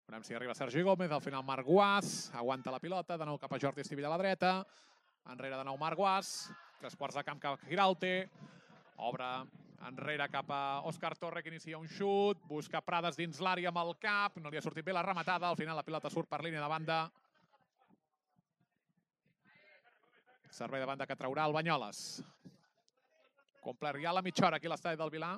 Veurem si arriba Sergi Gómez. Al final Marc Guàs aguanta la pilota. De nou cap a Jordi Estivill a la dreta. Enrere de nou Marc Guàs. 3/4 de camp cap a Giralte. Obre enrere cap a Òscar Torre, que inicia un xut. Busca Prades dins l'àrea amb el cap. No li ha sortit bé la rematada. Al final la pilota surt per línia de banda. Servei de banda que traurà el Banyoles. Complert ja la mitja hora aquí a l'estadi del Vilar.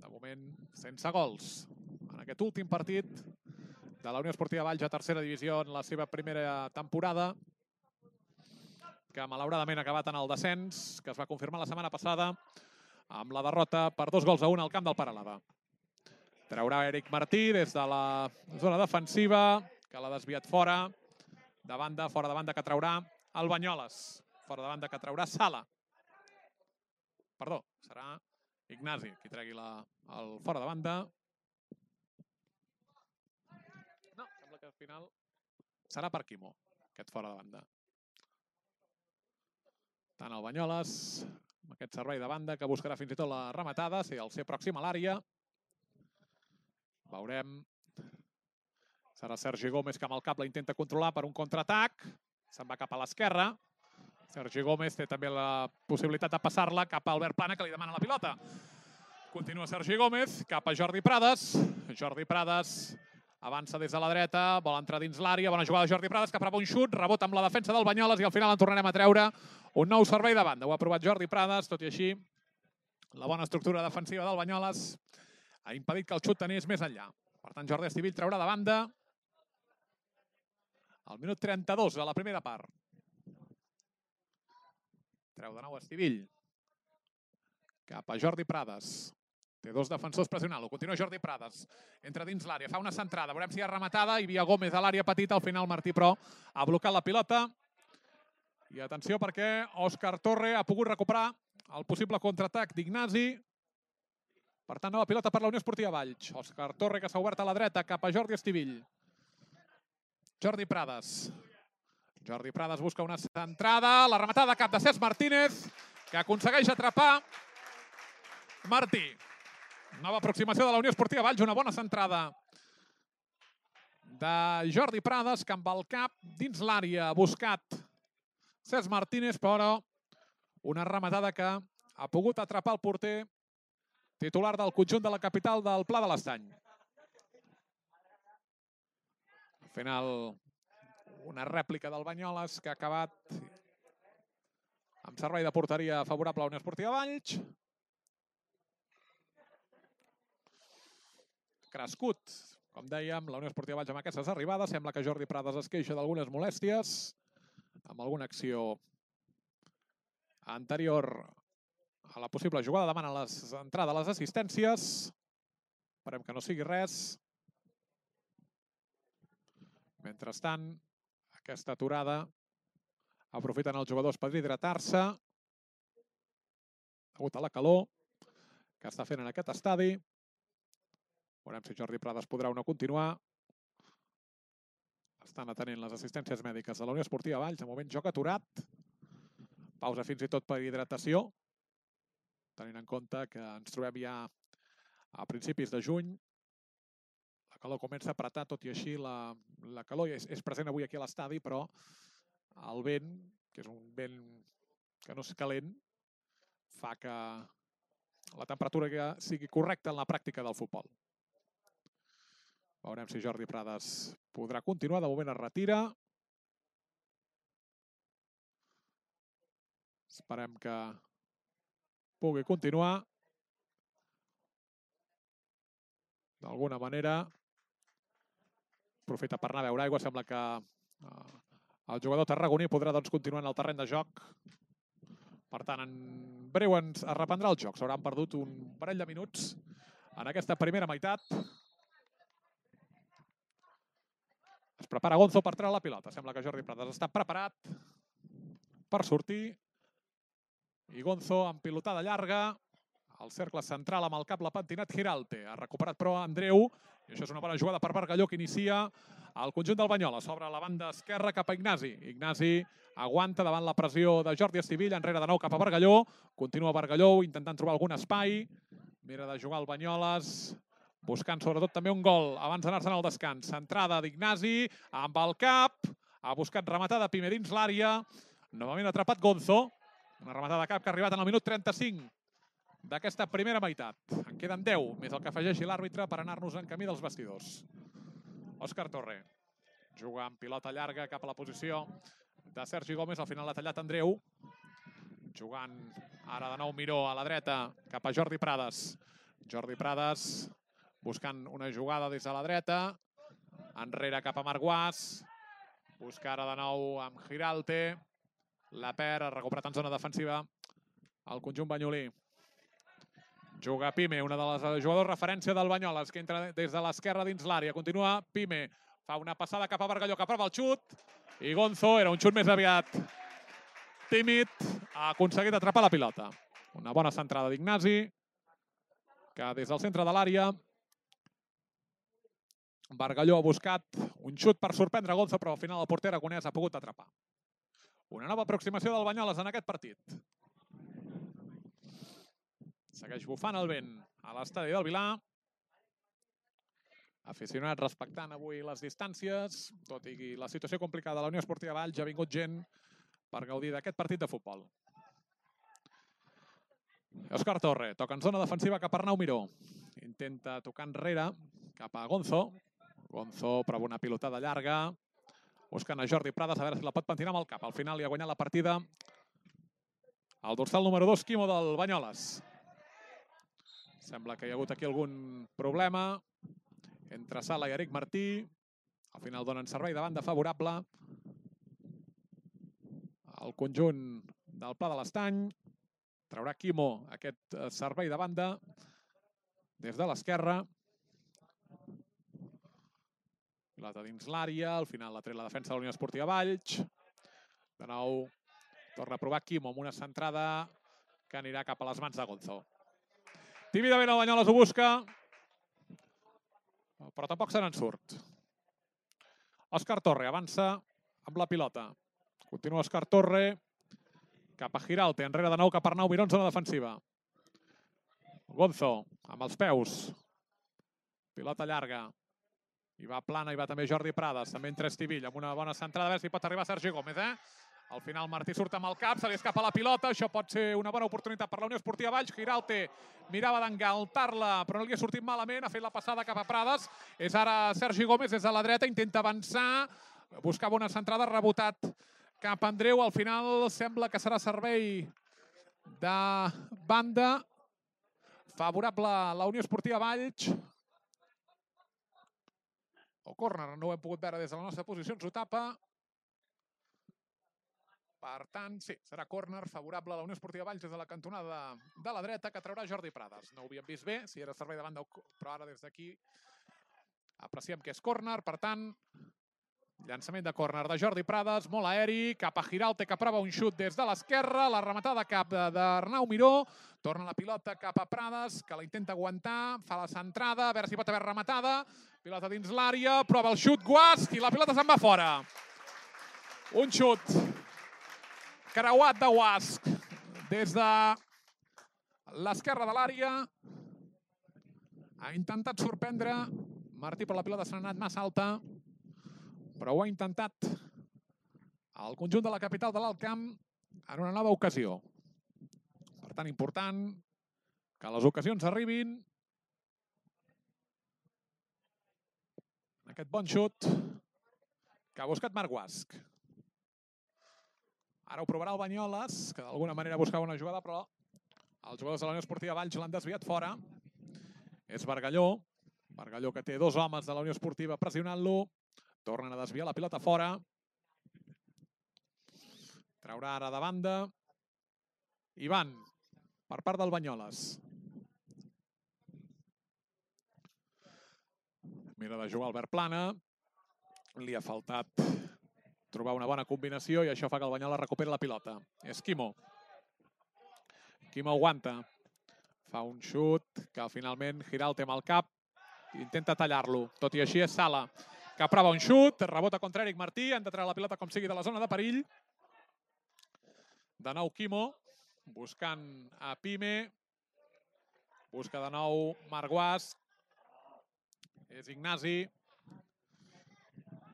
De moment, sense gols en aquest últim partit de la Unió Esportiva Valls a tercera divisió en la seva primera temporada, que malauradament ha acabat en el descens, que es va confirmar la setmana passada amb la derrota per 2-1 al camp del Peralada. Traurà Eric Martí des de la zona defensiva, que l'ha desviat fora de banda que traurà el Banyoles. Fora de banda que traurà Sala. Perdó, serà Ignasi qui tregui el fora de banda. No, sembla que al final serà per Quimo, aquest fora de banda. Tant el Banyoles, amb aquest servei de banda, que buscarà fins i tot la rematada, si el ser pròxim a l'àrea. Veurem. Serà Sergi Gómez, que amb el cap la intenta controlar per un contraatac. Se'n va cap a l'esquerra. Sergi Gómez té també la possibilitat de passar-la cap a Albert Plana, que li demana la pilota. Continua Sergi Gómez, cap a Jordi Prades. Jordi Prades avança des de la dreta, vol entrar dins l'àrea. Bona jugada de Jordi Prades, que prova un xut, rebota amb la defensa del Banyoles i al final en tornarem a treure un nou servei de banda. Ho ha provat Jordi Prades, tot i així la bona estructura defensiva del Banyoles ha impedit que el xut anés més enllà. Per tant, Jordi Estivill traurà de banda al minut 32 de la primera part. Treu de nou Estivill. Cap a Jordi Prades. Té dos defensors pressionant-lo. Continua Jordi Prades. Entra dins l'àrea, fa una centrada. Veurem si hi ha rematada. Hi havia Gómez a l'àrea petita. Al final Martí, però, ha blocat la pilota. I atenció perquè Òscar Torre ha pogut recuperar el possible contraatac d'Ignasi. Per tant, nova pilota per la Unió Esportiva Valls. Òscar Torre, que s'ha obert a la dreta, cap a Jordi Estivill. Jordi Prades. Jordi Prades busca una centrada. La rematada cap de Cesc Martínez, que aconsegueix atrapar Martí. Nova aproximació de la Unió Esportiva Valls. Una bona centrada de Jordi Prades, que amb el cap dins l'àrea ha buscat Cesc Martínez, però una rematada que ha pogut atrapar el porter titular del conjunt de la capital del Pla de l'Estany. Al final, una rèplica del Banyoles que ha acabat amb servei de porteria favorable a la Unió Esportiva Valls. Crescut, com dèiem, la Unió Esportiva Valls amb aquestes arribades. Sembla que Jordi Prades es queixa d'algunes molèsties amb alguna acció anterior a la possible jugada. Demana l'entrada a les assistències. Esperem que no sigui res. Mentrestant, aquesta aturada aprofiten els jugadors per hidratar-se degut a la calor que està fent en aquest estadi. Veurem si Jordi Prades podrà o no continuar. Estan atenent les assistències mèdiques de la Unió Esportiva Valls. De moment, joc aturat. Pausa fins i tot per hidratació. Tenint en compte que ens trobem ja a principis de juny. La calor comença a apretar, tot i així la calor és present avui aquí a l'estadi, però el vent, que és un vent que no és calent, fa que la temperatura sigui correcta en la pràctica del futbol. Veurem si Jordi Prades podrà continuar. De moment es retira. Esperem que pugui continuar. D'alguna manera, aprofita per anar a veure aigua. Sembla que el jugador tarragoní podrà continuar en el terreny de joc. Per tant, en breu es reprendrà el joc. S'hauran perdut un parell de minuts en aquesta primera meitat. Es prepara Gonzo per treure la pilota. Sembla que Jordi Prades està preparat per sortir. I Gonzo amb pilotada llarga. El cercle central amb el cap l'ha pentinat Giralte. Ha recuperat però Andreu. I això és una bona jugada per Bargalló, que inicia el conjunt del Banyoles. S'obre a la banda esquerra cap a Ignasi. Ignasi aguanta davant la pressió de Jordi Estivilla. Enrere de nou cap a Bargalló. Continua Bargalló intentant trobar algun espai. Mira de jugar el Banyoles, buscant sobretot també un gol abans d'anar-se'n al descans. Centrada d'Ignasi amb el cap. Ha buscat rematada Pime dins l'àrea. Novament atrapat Gonzo. Una rematada de cap que ha arribat en el minut 35 d'aquesta primera meitat. En queden 10, més el que afegeixi l'àrbitre per anar-nos en camí dels vestidors. Òscar Torre juga amb pilota llarga cap a la posició de Sergi Gómez. Al final l'ha tallat Andreu. Jugant ara de nou Miró a la dreta cap a Jordi Prades. Jordi Prades buscant una jugada des de la dreta. Enrere cap a Marc Guas. Busca ara de nou amb Giralte. La perd, ha recuperat en zona defensiva el conjunt banyolí. Juga Pime, una de les jugadors referència del Banyoles, que entra des de l'esquerra dins l'àrea. Continua Pime, fa una passada cap a Bargalló, que aprova el xut. I Gonzo, era un xut més aviat tímid, ha aconseguit atrapar la pilota. Una bona centrada d'Ignasi, que des del centre de l'àrea Bargalló ha buscat un xut per sorprendre Gonzo, però al final el porter aragonès ha pogut atrapar. Una nova aproximació del Banyoles en aquest partit. Segueix bufant el vent a l'estadi del Vilar. Aficionats respectant avui les distàncies, tot i la situació complicada de la Unió Esportiva Valls, ha vingut gent per gaudir d'aquest partit de futbol. Òscar Torre toca en zona defensiva cap a Arnau Miró. Intenta tocar enrere cap a Gonzo. Gonzo prova una pilotada llarga, buscant a Jordi Prades, a veure si la pot pentinar amb el cap. Al final li ha guanyat la partida el dorsal número 2, Quimo, del Banyoles. Sembla que hi ha hagut aquí algun problema entre Sala i Eric Martí. Al final donen servei de banda favorable al conjunt del Pla de l'Estany. Traurà Quimo aquest servei de banda des de l'esquerra. Pilota dins l'àrea, al final la tret la defensa de la Unió Esportiva Valls. De nou torna a provar Quimo amb una centrada que anirà cap a les mans de Gonzo. Tímidament el Banyoles ho busca, però tampoc se n'en surt. Òscar Torre avança amb la pilota. Continua Òscar Torre cap a Giralte, enrere de nou cap a Arnau Miró en zona defensiva. Gonzo amb els peus. Pilota llarga. Hi va plana, hi va també Jordi Prades, també entra Estivilla amb una bona centrada, a veure si pot arribar Sergi Gómez. Al final Martí surt amb el cap, se li escapa la pilota, això pot ser una bona oportunitat per la Unió Esportiva Valls. Giralte mirava d'engaltar-la, però no li ha sortit malament, ha fet la passada cap a Prades. És ara Sergi Gómez des de la dreta, intenta avançar, buscava una centrada, rebotat cap a Andreu. Al final sembla que serà servei de banda favorable a la Unió Esportiva Valls. O córner, no ho hem pogut veure des de la nostra posició, ens ho tapa. Per tant, sí, serà córner favorable a la Unió Esportiva Valls des de la cantonada de la dreta, que traurà Jordi Prades. No ho havíem vist bé, si era servei de banda, però ara des d'aquí apreciem que és córner. Per tant, llançament de córner de Jordi Prades, molt aeri, cap a Giralte, que prova un xut des de l'esquerra, la rematada cap d'Arnau Miró, torna la pilota cap a Prades, que la intenta aguantar, fa la centrada, a veure si pot haver rematada, pilota dins l'àrea, prova el xut Guasc i la pilota se'n va fora. Un xut creuat de Guasc des de l'esquerra de l'àrea. Ha intentat sorprendre Martí, però la pilota s'ha anat massa alta, però ho ha intentat el conjunt de la capital de l'Alt Camp en una nova ocasió. Per tant, important que les ocasions arribin. Aquest bon xut que ha buscat Marc Guasch. Ara ho provarà el Banyoles, que d'alguna manera buscava una jugada, però els jugadors de la Unió Esportiva Valls l'han desviat fora. És Bargalló. Bargalló, que té dos homes de la Unió Esportiva pressionant-lo. Tornen a desviar la pilota fora. Traurà ara de banda. Ivan, per part del Banyoles. Mira de jugar Albert Plana. Li ha faltat trobar una bona combinació i això fa que el Banyoles recuperi la pilota. És Quimo. Quimo aguanta. Fa un xut que finalment Giralt amb el cap intenta tallar-lo. Tot i així és Sala, que prova un xut, rebota contra Eric Martí, han de treure la pilota com sigui de la zona de perill. De nou Quimo, buscant a Pime. Busca de nou Marc Guasch. És Ignasi.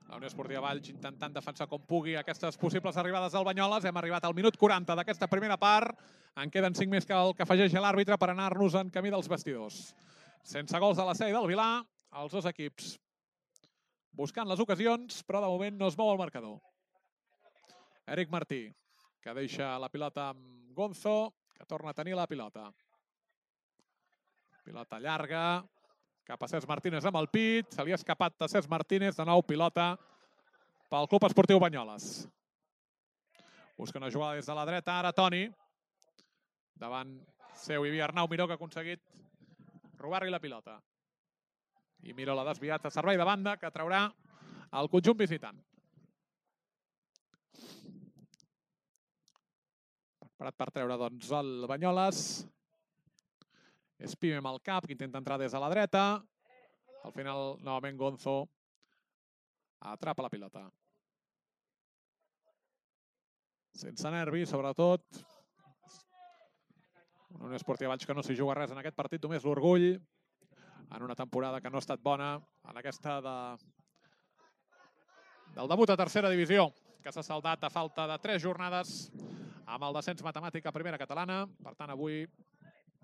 La Unió Esportiva Valls intentant defensar com pugui aquestes possibles arribades del Banyoles. Hem arribat al minut 40 d'aquesta primera part. En queden 5 més que el que afegeix l'àrbitre per anar-nos en camí dels vestidors. Sense gols de la sèrie del Vilà, els dos equips buscant les ocasions, però de moment no es mou el marcador. Eric Martí, que deixa la pilota amb Gonzo, que torna a tenir la pilota. Pilota llarga. Cap a Cesc Martínez amb el pit. Se li ha escapat a Cesc Martínez. De nou pilota pel Club Esportiu Banyoles. Busca una jugada des de la dreta. Ara Toni. Davant seu hi havia Arnau Miró, que ha aconseguit robar-li la pilota. I Miró l'ha desviat a servei de banda, que traurà el conjunt visitant. Preparat per treure doncs el Banyoles. És Pime amb el cap, que intenta entrar des de la dreta. Al final, novament, Gonzo atrapa la pilota. Sense nervis, sobretot. Una Unió Esportiva Valls que no s'hi juga res en aquest partit, només l'orgull. En una temporada que no ha estat bona, en aquesta del debut a tercera divisió, que s'ha saldat a falta de 3 jornades amb el descens matemàtic a primera catalana. Per tant, avui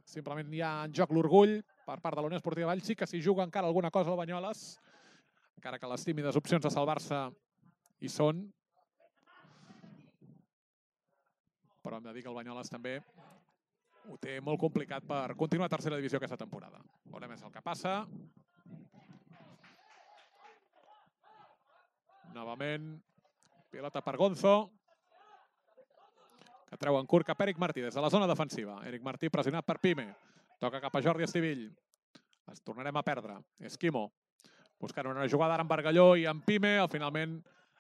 simplement hi ha en joc l'orgull per part de la Unió Esportiva Valls. Sí que s'hi juga encara alguna cosa al Banyoles, encara que les tímides opcions de salvar-se hi són. Però hem de dir que el Banyoles també ho té molt complicat per continuar a tercera divisió aquesta temporada. Veurem és el que passa. Novament, pilota per Gonzo, que treu en curt cap Eric Martí des de la zona defensiva. Eric Martí pressionat per Pime. Toca cap a Jordi Estivill. Es tornarem a perdre. És Quimo. Buscant una jugada ara amb Bargalló i amb Pime. Finalment,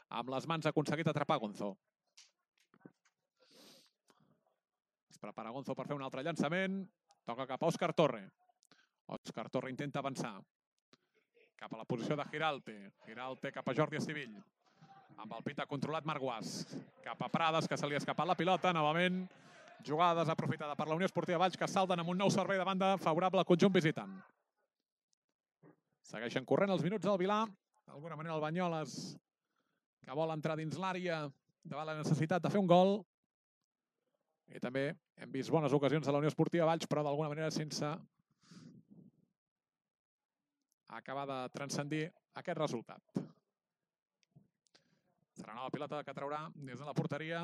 amb les mans ha aconseguit atrapar Gonzo. Es prepara Gonzo per fer un altre llançament. Toca cap a Òscar Torre. Òscar Torre intenta avançar. Cap a la posició de Giralte. Giralte cap a Jordi Estivill. Amb el pit ha controlat Marc Guasch. Cap a Prades, que se li ha escapat la pilota. Novament, jugada desaprofitada per la Unió Esportiva Valls, que salten amb un nou servei de banda favorable al conjunt visitant. Segueixen corrent els minuts del Vilà. D'alguna manera el Banyoles, que vol entrar dins l'àrea davant la necessitat de fer un gol. I també hem vist bones ocasions de la Unió Esportiva Valls, però d'alguna manera sense acabar de transcendir aquest resultat. Serà nova pilota que traurà des de la porteria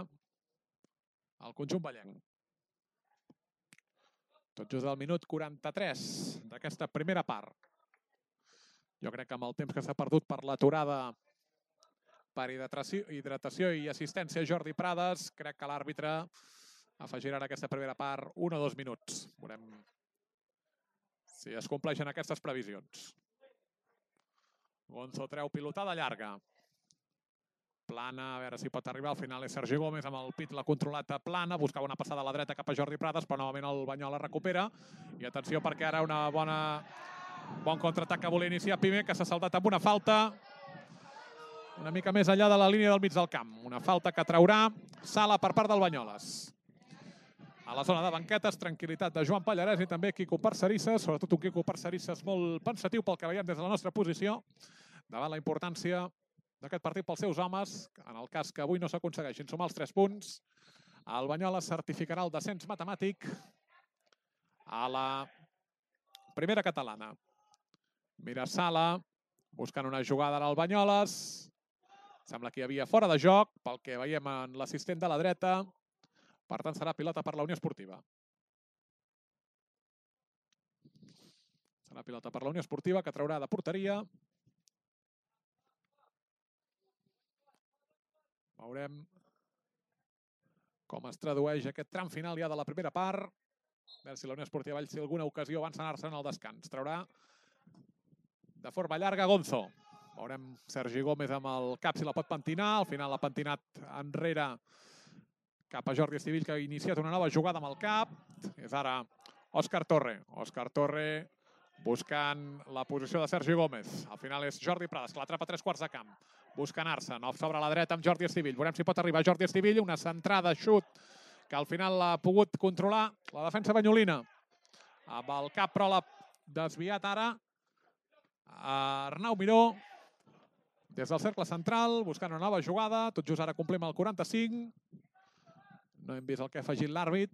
el conjunt vallenc. Tot just al minut 43 d'aquesta primera part. Jo crec que amb el temps que s'ha perdut per l'aturada per hidratació i assistència Jordi Prades, crec que l'àrbitre afegirà en aquesta primera part 1 o 2 minuts. Veurem si es compleixen aquestes previsions. Gonzo treu pilotada llarga. Plana, a veure si pot arribar. Al final és Sergi Gómez amb el pit, l'ha controlat a Plana. Buscava una passada a la dreta cap a Jordi Prades, però novament el Banyoles recupera. I atenció perquè ara bon contraatac que volia iniciar Pime, que s'ha saltat amb una falta una mica més enllà de la línia del mig del camp. Una falta que traurà Sala per part del Banyoles. A la zona de banquetes, tranquil·litat de Joan Pallarès i també Quico Parcerisses, sobretot un Quico Parcerisses molt pensatiu pel que veiem des de la nostra posició, davant la importància d'aquest partit pels seus homes, en el cas que avui no s'aconsegueixin sumar els 3 punts. El Banyoles certificarà el descens matemàtic a la primera catalana. Mirasala, buscant una jugada al Banyoles. Sembla que hi havia fora de joc, pel que veiem en l'assistent de la dreta. Per tant, serà pilota per la Unió Esportiva. Serà pilota per la Unió Esportiva, que traurà de porteria. Veurem com es tradueix aquest tram final ja de la primera part. A veure si la Unió Esportiva Valls té alguna ocasió abans d'anar-se'n al descans. Traurà de forma llarga Gonzo. Veurem Sergi Gómez amb el cap si la pot pentinar. Al final l'ha pentinat enrere cap a Jordi Estivill, que ha iniciat una nova jugada amb el cap. És ara Òscar Torre. Òscar Torre buscant la posició de Sergi Gómez. Al final és Jordi Prades, que l'atrapa a 3 quarts de camp. Busca anar-se, no sobre la dreta amb Jordi Estivill. Veurem si pot arribar Jordi Estivill. Una centrada, xut, que al final l'ha pogut controlar la defensa banyolina. Amb el cap, però l'ha desviat ara Arnau Miró. Des del cercle central, buscant una nova jugada. Tot just ara complim el 45. No hem vist el que ha afegit l'àrbit.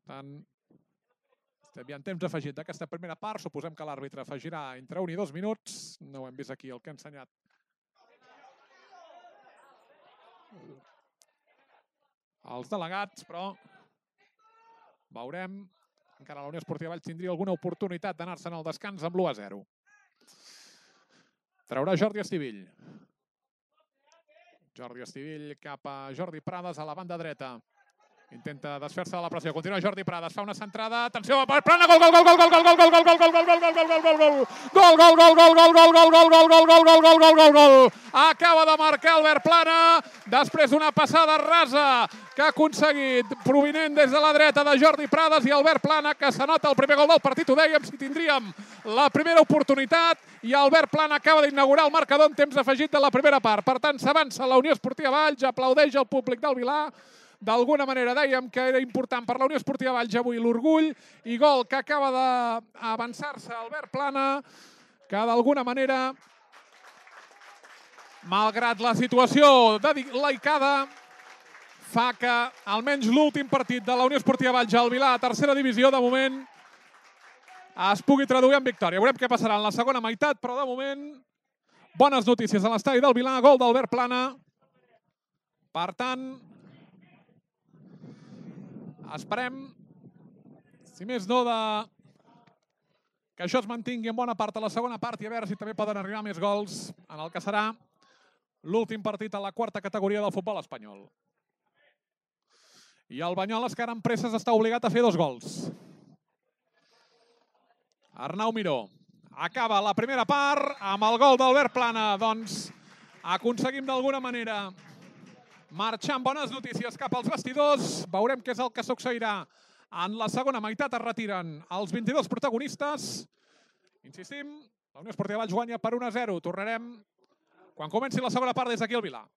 Per tant, estem ja en temps afegit d'aquesta primera part. Suposem que l'àrbitre afegirà entre 1 i 2 minuts. No ho hem vist aquí el que ha ensenyat els delegats, però veurem. Encara la Unió Esportiva Valls tindria alguna oportunitat d'anar-se'n al descans amb l'1-0. Traurà Jordi Estivill. Jordi Estivill cap a Jordi Prades a la banda dreta. Intenta desfer-se de la pressió. Continua Jordi Prades, fa una centrada. Atenció, plana, gol, gol, gol, gol, gol, gol, gol, gol, gol, gol, gol, gol, gol, gol, gol, gol, gol, gol, gol. Acaba de marcar Albert Plana després d'una passada rasa que ha aconseguit provinent des de la dreta de Jordi Prades i Albert Plana, que s'anota el primer gol del partit. Ho dèiem, si tindríem la primera oportunitat, i Albert Plana acaba d'inaugurar el marcador en temps afegit de la primera part. Per tant, s'avança la Unió Esportiva Valls, aplaudeix el públic del Vilar. D'alguna manera dèiem que era important per la Unió Esportiva Valls avui l'orgull, i gol que acaba d'avançar-se Albert Plana, que d'alguna manera, malgrat la situació delicada, fa que almenys l'últim partit de la Unió Esportiva Valls al Vilar, a tercera divisió, de moment, es pugui traduir en victòria. Veurem què passarà en la segona meitat, però de moment, bones notícies a l'estadi del Vilar, gol d'Albert Plana. Per tant, esperem, si més no, que això es mantingui en bona part a la segona part i a veure si també poden arribar més gols en el que serà l'últim partit a la quarta categoria del futbol espanyol. I el Banyoles, que ara amb presses està obligat a fer 2 gols. Arnau Miró acaba la primera part amb el gol d'Albert Plana. Doncs aconseguim d'alguna manera marxar amb bones notícies cap als vestidors. Veurem què és el que succeirà en la segona meitat. Es retiren els 22 protagonistes. Insistim, la Unió Esportiva Valls guanya per 1-0. Tornarem quan comenci la segona part des d'aquí al Vilar.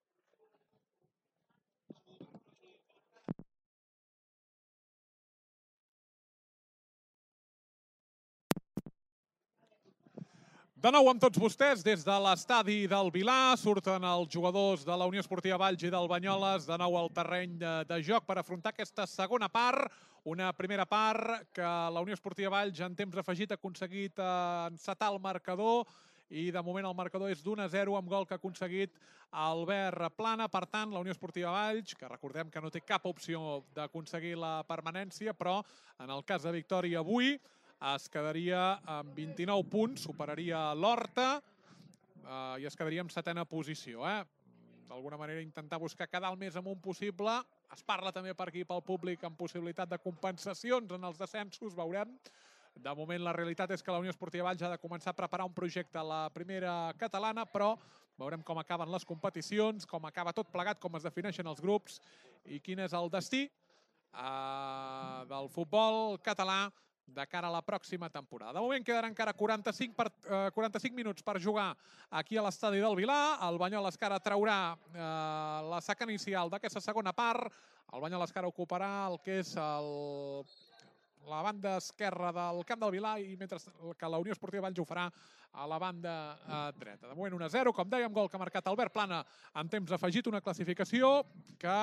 De nou amb tots vostès, des de l'estadi del Vilar, surten els jugadors de la Unió Esportiva Valls i del Banyoles de nou al terreny de joc per afrontar aquesta segona part. Una primera part que la Unió Esportiva Valls en temps afegit ha aconseguit encetar el marcador, i de moment el marcador és d'1-0 amb gol que ha aconseguit Albert Plana. Per tant, la Unió Esportiva Valls, que recordem que no té cap opció d'aconseguir la permanència, però en el cas de victòria avui es quedaria amb 29 punts, superaria l'Horta i es quedaria en 7a posició. D'alguna manera intentar buscar quedar el més amunt possible. Es parla també per aquí pel públic amb possibilitat de compensacions en els descensos, veurem. De moment la realitat és que la Unió Esportiva Valls ha de començar a preparar un projecte a la primera catalana, però veurem com acaben les competicions, com acaba tot plegat, com es defineixen els grups i quin és el destí del futbol català de cara a la pròxima temporada. De moment quedaran encara 45 minuts per jugar aquí a l'estadi del Vilar. El Banyoles que ara traurà la saca inicial d'aquesta segona part. El Banyoles que ara ocuparà el que és la banda esquerra del camp del Vilar i mentre que la Unió Esportiva Valls ho farà a la banda dreta. De moment 1-0, com dèiem, gol que ha marcat Albert Plana en temps afegit, una classificació que,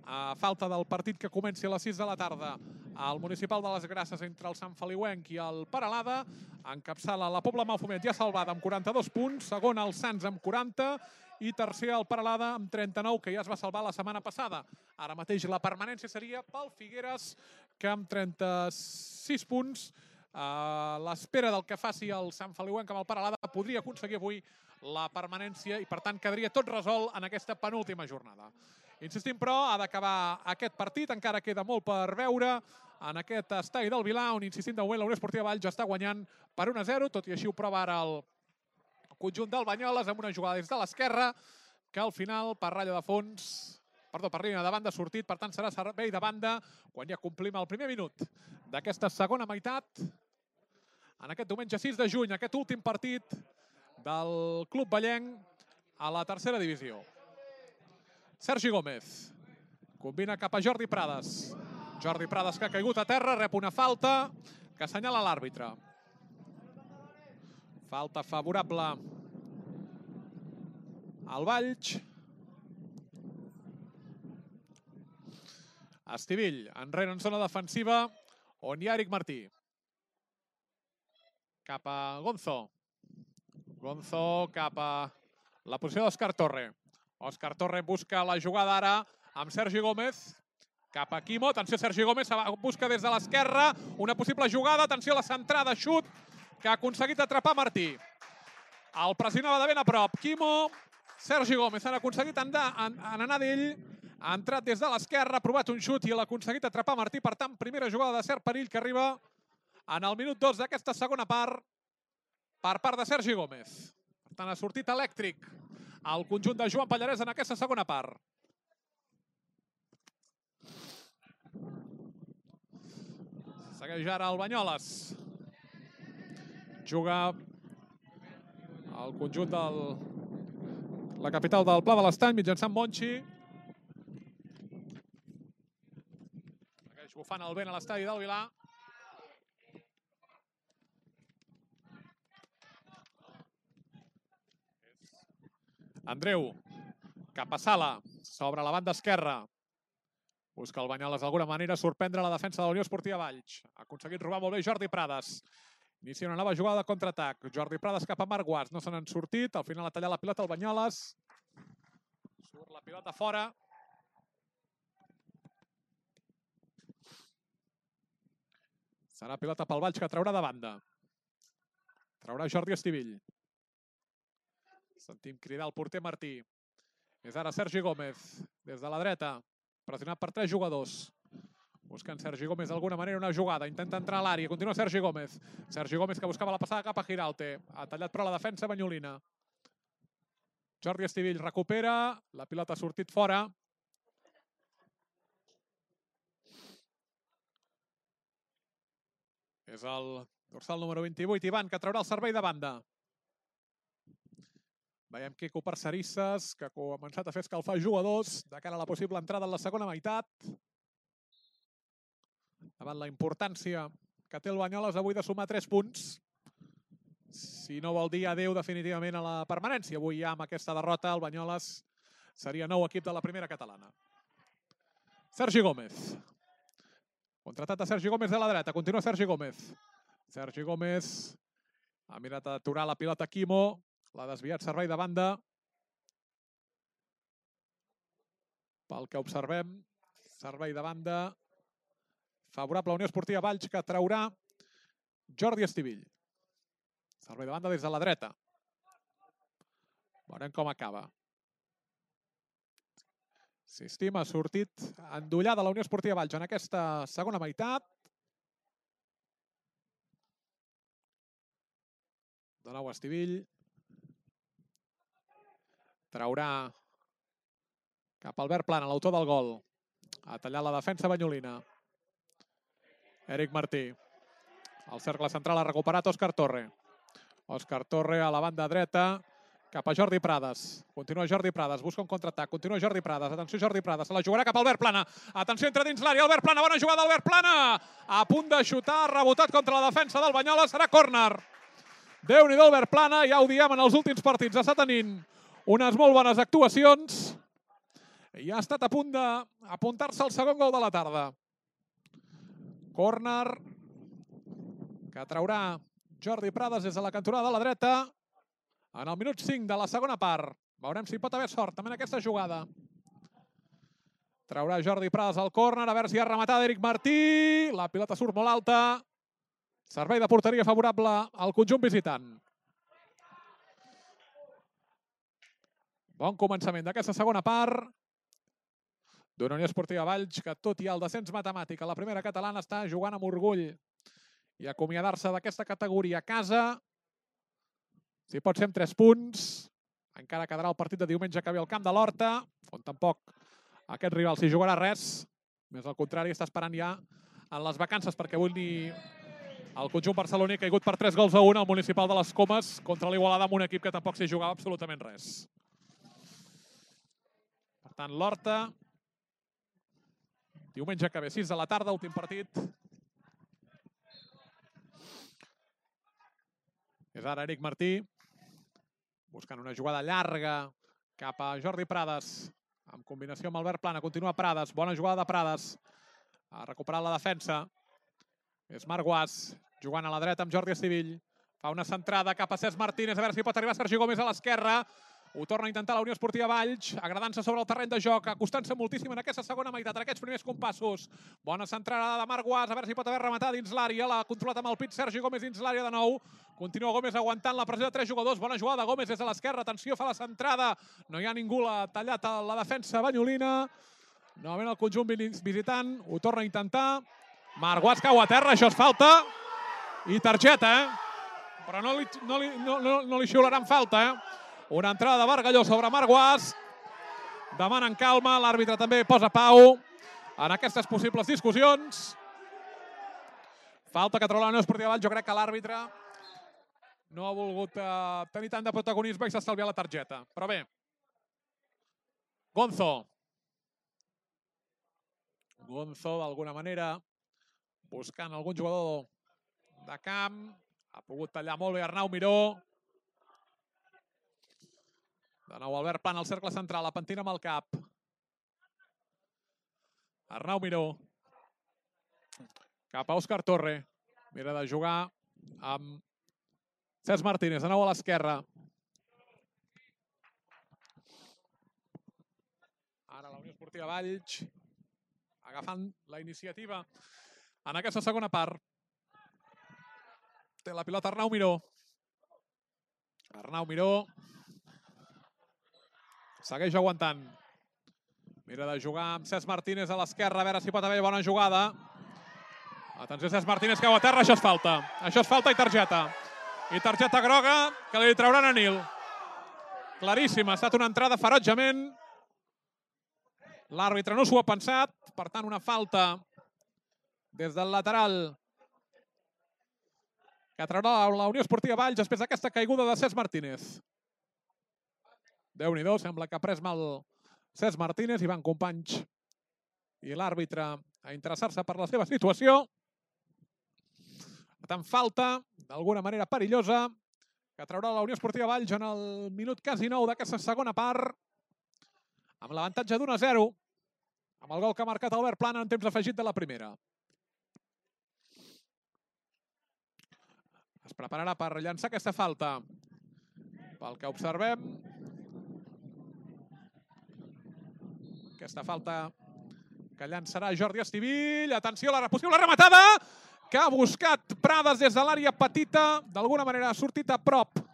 a falta del partit que comenci a les 6 de la tarda al Municipal de les Grasses entre el Sant Feliuenc i el Peralada, encapçala la Pobla Malfumet ja salvada amb 42 punts, segon el Sants amb 40 i tercer el Peralada amb 39, que ja es va salvar la setmana passada. Ara mateix la permanència seria pel Figueres, que amb 36 punts, a l'espera del que faci el Sant Feliuenc amb el Peralada, podria aconseguir avui la permanència i, per tant, quedaria tot resolt en aquesta penúltima jornada. Insistim, però, ha d'acabar aquest partit, encara queda molt per veure en aquest estadi del Vilar, on, insistim, de moment la Unió Esportiva Valls està guanyant per 1-0, tot i així ho prova ara el conjunt del Banyoles amb una jugada des de l'esquerra, que al final, per ratlla de fons, per línia de banda ha sortit, per tant serà servei de banda quan ja complim el primer minut d'aquesta segona meitat. En aquest diumenge 6 de juny, aquest últim partit del Club Vallenc a la tercera divisió. Sergi Gómez combina cap a Jordi Prades. Jordi Prades, que ha caigut a terra, rep una falta que assenyala l'àrbitre. Falta favorable al Valls. Estivill, enrere en zona defensiva, on hi ha Eric Martí. Cap a Gonzo. Gonzo cap a la posició d'Òscar Torre. Òscar Torre busca la jugada ara amb Sergi Gómez. Cap a Quimo. Atenció, Sergi Gómez busca des de l'esquerra una possible jugada. Atenció a la centrada, xut, que ha aconseguit atrapar Martí. El pressionava de ben a prop. Quimo, Sergi Gómez han aconseguit anar d'ell. Ha entrat des de l'esquerra, ha provat un xut i l'ha aconseguit atrapar Martí. Per tant, primera jugada de cert perill que arriba en el minut 2 d'aquesta segona part per part de Sergi Gómez. Per tant, ha sortit elèctric el conjunt de Joan Pallarès en aquesta segona part. Segueix ara el Banyoles. Juga el conjunt de la capital del Pla de l'Estany mitjançant Monchi. Segueix bufant el vent a l'estadi del Vilar. Andreu, cap a Sala, sobre la banda esquerra. Busca el Banyoles d'alguna manera sorprendre la defensa de la Unió Esportiva Valls. Ha aconseguit robar molt bé Jordi Prades. Inicia una nova jugada de contraatac. Jordi Prades cap a Marc Guas. No se n'han sortit. Al final ha tallat la pilota el Banyoles. Surt la pilota fora. Serà pilota pel Valls que traurà de banda. Traurà Jordi Estivill. Sentim cridar el porter Martí. És ara Sergi Gómez, des de la dreta, pressionat per 3 jugadors. Buscant Sergi Gómez d'alguna manera una jugada. Intenta entrar a l'àrea. Continua Sergi Gómez. Sergi Gómez que buscava la passada cap a Giralte. Ha tallat però la defensa banyolina. Jordi Estivill recupera. La pilota ha sortit fora. És el dorsal número 28, Ivan, que traurà el servei de banda. Veiem Quico Parcerisses, que ha començat a fer escalfar jugadors de cara a la possible entrada en la segona meitat. Davant la importància que té el Banyoles avui de sumar 3 punts. Si no vol dir adeu definitivament a la permanència. Avui ja amb aquesta derrota el Banyoles seria nou equip de la primera catalana. Sergi Gómez. Contratat de Sergi Gómez de la dreta. Continua Sergi Gómez. Sergi Gómez ha mirat d'aturar la pilota Quimo. L'ha desviat servei de banda. Pel que observem, servei de banda favorable a Unió Esportiva Valls, que traurà Jordi Estivill. Servei de banda des de la dreta. Veurem com acaba. Insistim, ha sortit endollada la Unió Esportiva Valls en aquesta segona meitat. De nou Estivill. Traurà cap a Albert Plana, l'autor del gol. Ha tallat la defensa banyolina. Eric Martí. El cercle central ha recuperat Òscar Torre. Òscar Torre a la banda dreta, cap a Jordi Prades. Continua Jordi Prades, busca un contraatac. Continua Jordi Prades. Atenció Jordi Prades, se la jugarà cap a Albert Plana. Atenció, entra dins l'àrea, Albert Plana, bona jugada Albert Plana. A punt de xutar, rebotat contra la defensa del Banyoles, serà córner. Déu-n'hi-do Albert Plana, ja ho diem en els últims partits, està tenint unes molt bones actuacions. I ha estat a punt d'apuntar-se al segon gol de la tarda. Córner que traurà Jordi Prades des de la cantonada de la dreta en el minut 5 de la segona part. Veurem si pot haver sort també en aquesta jugada. Traurà Jordi Prades al córner, a veure si ha rematat Eric Martí. La pilota surt molt alta. Servei de porteria favorable al conjunt visitant. Bon començament d'aquesta segona part d'una Unió Esportiva Valls que, tot i el descens matemàtic a la primera catalana, està jugant amb orgull i acomiadar-se d'aquesta categoria a casa. Si pot ser amb 3 punts, encara quedarà el partit de diumenge que ve al camp de l'Horta, on tampoc aquest rival s'hi jugarà res. Més al contrari, està esperant ja en les vacances perquè avui el conjunt barceloní ha caigut per 3-1 al Municipal de les Comes contra l'Igualada amb un equip que tampoc s'hi jugava absolutament res. Per tant, l'Horta, diumenge que ve, 6 de la tarda, últim partit. És ara Eric Martí, buscant una jugada llarga cap a Jordi Prades, en combinació amb Albert Plana. Continua Prades, bona jugada de Prades. Ha recuperat la defensa. És Marc Guas, jugant a la dreta amb Jordi Estivill. Fa una centrada cap a Cesc Martínez, a veure si pot arribar Sergi Gómez a l'esquerra. Ho torna a intentar la Unió Esportiva Valls, agradant-se sobre el terreny de joc, acostant-se moltíssim en aquesta segona meitat, en aquests primers compassos. Bona centrada de Marc Guas, a veure si pot haver rematat dins l'àrea. L'ha controlat amb el pit Sergi Gómez dins l'àrea de nou. Continua Gómez aguantant la pressió de 3 jugadors. Bona jugada de Gómez des de l'esquerra. Atenció, fa la centrada. No hi ha ningú, l'ha tallat a la defensa banyolina. Novament el conjunt visitant. Ho torna a intentar. Marc Guas cau a terra, això és falta. I targeta, però no li xiularan falta, Una entrada de Bargalló sobre Marc Guas. Demanen calma, l'àrbitre també posa pau en aquestes possibles discussions. Falta que troba la Unió Esportiva Valls. Jo crec que l'àrbitre no ha volgut tenir tant de protagonisme i s'ha estalviat la targeta. Però bé. Gonzo, d'alguna manera, buscant algun jugador de camp. Ha pogut tallar molt bé Arnau Miró. De nou Albert Plana al cercle central, a pentina amb el cap. Arnau Miró. Cap a Òscar Torre. Mira de jugar amb Cesc Martínez, de nou a l'esquerra. Ara la Unió Esportiva Valls agafant la iniciativa en aquesta segona part. Té la pilota Arnau Miró. Arnau Miró segueix aguantant. Mira de jugar amb Cesc Martínez a l'esquerra, a veure si pot haver bona jugada. Atenció, Cesc Martínez cau a terra, això és falta. Això és falta i targeta. I targeta groga que li trauran a Nil. Claríssima, ha estat una entrada ferotgement. L'àrbitre no s'ho ha pensat, per tant una falta des del lateral que traurà la Unió Esportiva Valls després d'aquesta caiguda de Cesc Martínez. Déu-n'hi-do, sembla que ha pres mal Cesc Martínez i van companys i l'àrbitre a interessar-se per la seva situació. Per tant, falta, d'alguna manera perillosa, que traurà la Unió Esportiva Valls en el minut quasi 9 d'aquesta segona part, amb l'avantatge d'1-0, amb el gol que ha marcat Albert Plana en temps afegit de la primera. Es prepararà per llançar aquesta falta. Pel que observem, aquesta falta que llançarà Jordi Estivill. Atenció a la possible rematada que ha buscat Prades des de l'àrea petita. D'alguna manera ha sortit a prop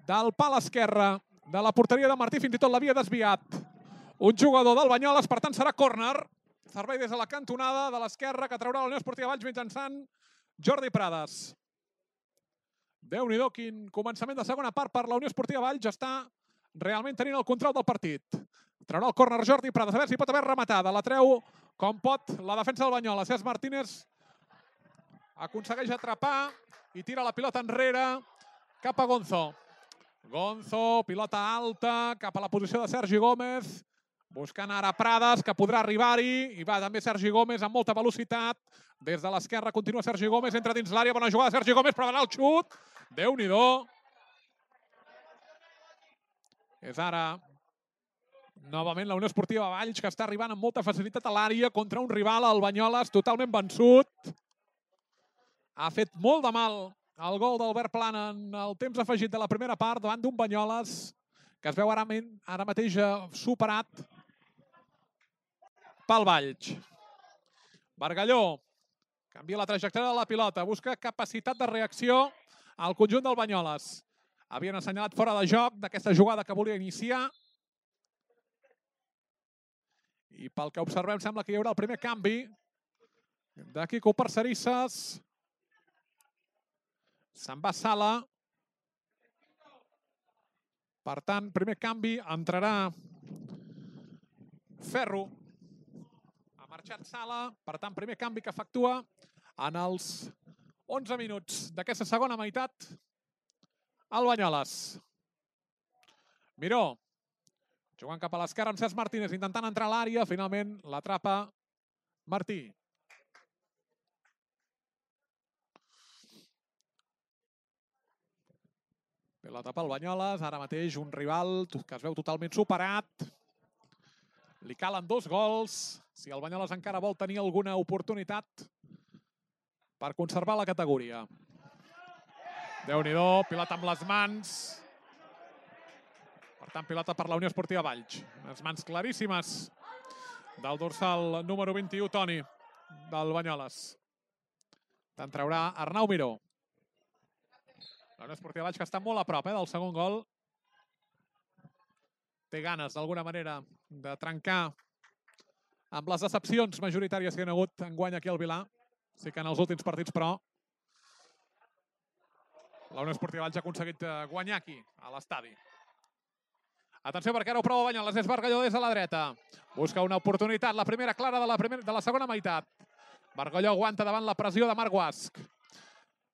del pal esquerre de la porteria de Martí. Fins i tot l'havia desviat un jugador del Banyoles. Per tant, serà córner. Servei des de la cantonada de l'esquerra que traurà la Unió Esportiva Valls mitjançant Jordi Prades. Déu-n'hi-do, quin començament de segona part per la Unió Esportiva Valls. Està realment tenint el control del partit. Traurà el córner Jordi Prades, a veure si pot haver rematada. La treu com pot la defensa del Banyoles. Cesc Martínez aconsegueix atrapar i tira la pilota enrere cap a Gonzo. Gonzo, pilota alta, cap a la posició de Sergi Gómez, buscant ara Prades, que podrà arribar-hi, i va també Sergi Gómez amb molta velocitat. Des de l'esquerra continua Sergi Gómez, entra dins l'àrea, bona jugada Sergi Gómez, provarà el xut. Déu-n'hi-do. És ara novament la Unió Esportiva Valls, que està arribant amb molta facilitat a l'àrea contra un rival, el Banyoles, totalment vençut. Ha fet molt de mal el gol d'Albert Plana en el temps afegit de la primera part davant d'un Banyoles que es veu ara mateix superat pel Valls. Bargalló canvia la trajectòria de la pilota, busca capacitat de reacció al conjunt del Banyoles. Havien assenyalat fora de joc d'aquesta jugada que volia iniciar. I pel que observem sembla que hi haurà el primer canvi de Quico Parcerisses. Se'n va Sala. Per tant, primer canvi, entrarà Ferro. Ha marxat Sala, per tant, primer canvi que efectua en els 11 minuts d'aquesta segona meitat el Banyoles. Miró, jugant cap a l'esquerra amb Cesc Martínez, intentant entrar a l'àrea, finalment l'atrapa Martí. Pilota pel Banyoles, ara mateix un rival que es veu totalment superat. Li calen 2 gols, si el Banyoles encara vol tenir alguna oportunitat per conservar la categoria. Déu-n'hi-do, pilota amb les mans. Per tant, pilota per la Unió Esportiva Valls. Unes mans claríssimes del dorsal número 21, Toni, del Banyoles. Te'n traurà Arnau Miró. La Unió Esportiva Valls, que està molt a prop del segon gol. Té ganes, d'alguna manera, de trencar amb les decepcions majoritàries que hi ha hagut enguany aquí al Vilà. Sí que en els últims partits, però, la Unió Esportiva Valls ha aconseguit guanyar aquí, a l'estadi. Atenció, perquè ara ho prova Banyoles, és Bargalló des de la dreta. Busca una oportunitat, la primera clara de la segona meitat. Bargalló aguanta davant la pressió de Marc Guasch.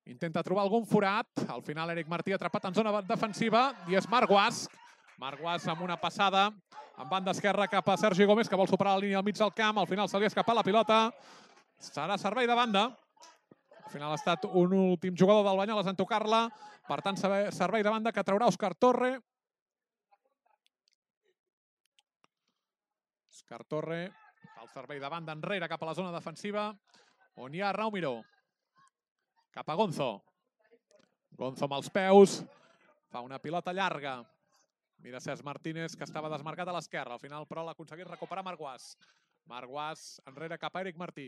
Intenta trobar algun forat. Al final, Eric Martí atrapat en zona defensiva i és Marc Guasch. Marc Guasch amb una passada en banda esquerra cap a Sergi Gómez, que vol superar la línia al mig del camp. Al final se li ha escapat la pilota. Serà servei de banda. Al final ha estat un últim jugador del Banyoles en tocar-la. Per tant, servei de banda que traurà Òscar Torre. Òscar Torre, el servei de banda enrere cap a la zona defensiva, on hi ha Arnau Miró. Cap a Gonzo. Gonzo amb els peus. Fa una pilota llarga. Mira Cesc Martínez, que estava desmarcat a l'esquerra. Al final, però, l'ha aconseguit recuperar Marc Guasch. Marc Guasch enrere cap a Eric Martí.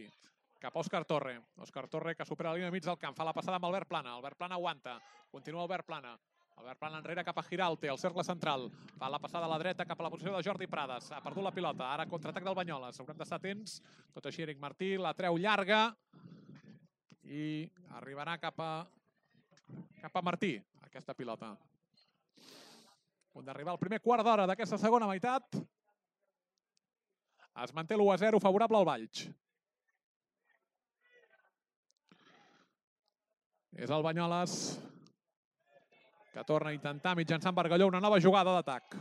Cap a Òscar Torre. Òscar Torre, que supera la línia mig del camp. Fa la passada amb Albert Plana. Albert Plana aguanta. Continua Albert Plana. Albert Plana enrere cap a Giralte, al cercle central. Fa la passada a la dreta cap a la posició de Jordi Prades. Ha perdut la pilota. Ara contraatac del Banyoles. Haurem d'estar atents. Tot així Eric Martí la treu llarga. I arribarà cap a Martí, aquesta pilota. A punt d'arribar al primer quart d'hora d'aquesta segona meitat. Es manté l'1-0 favorable al Valls. És el Banyoles que torna a intentar mitjançant Bargalló una nova jugada d'atac.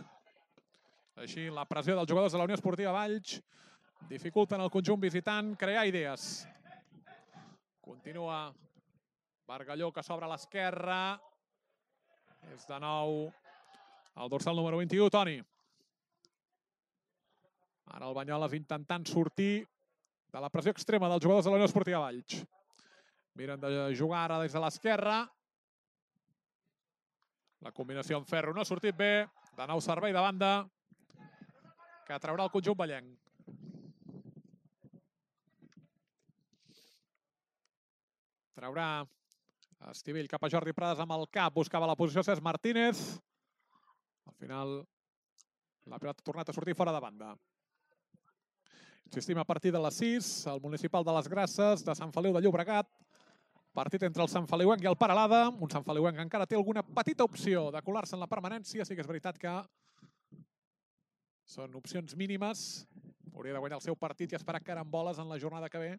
Així, la pressió dels jugadors de la Unió Esportiva Valls dificulten al conjunt visitant crear idees. Continua Bargalló, que s'obre a l'esquerra. És de nou el dorsal número 21, Toni. Ara el Banyoles intentant sortir de la pressió extrema dels jugadors de la Unió Esportiva Valls. Miren de jugar ara des de l'esquerra. La combinació amb Ferro no ha sortit bé. De nou servei de banda que traurà el conjunt vallenc. Traurà Estivell cap a Jordi Prades amb el cap. Buscava la posició Cesc Martínez. Al final la pilota ha tornat a sortir fora de banda. Insistim, a partir de les 6, el municipal de les Grasses de Sant Feliu de Llobregat. Partit entre el Sant Feliuenc i el Peralada. Un Sant Feliuenc que encara té alguna petita opció de colar-se en la permanència. Sí que és veritat que són opcions mínimes. Hauria de guanyar el seu partit i esperar caramboles en la jornada que ve.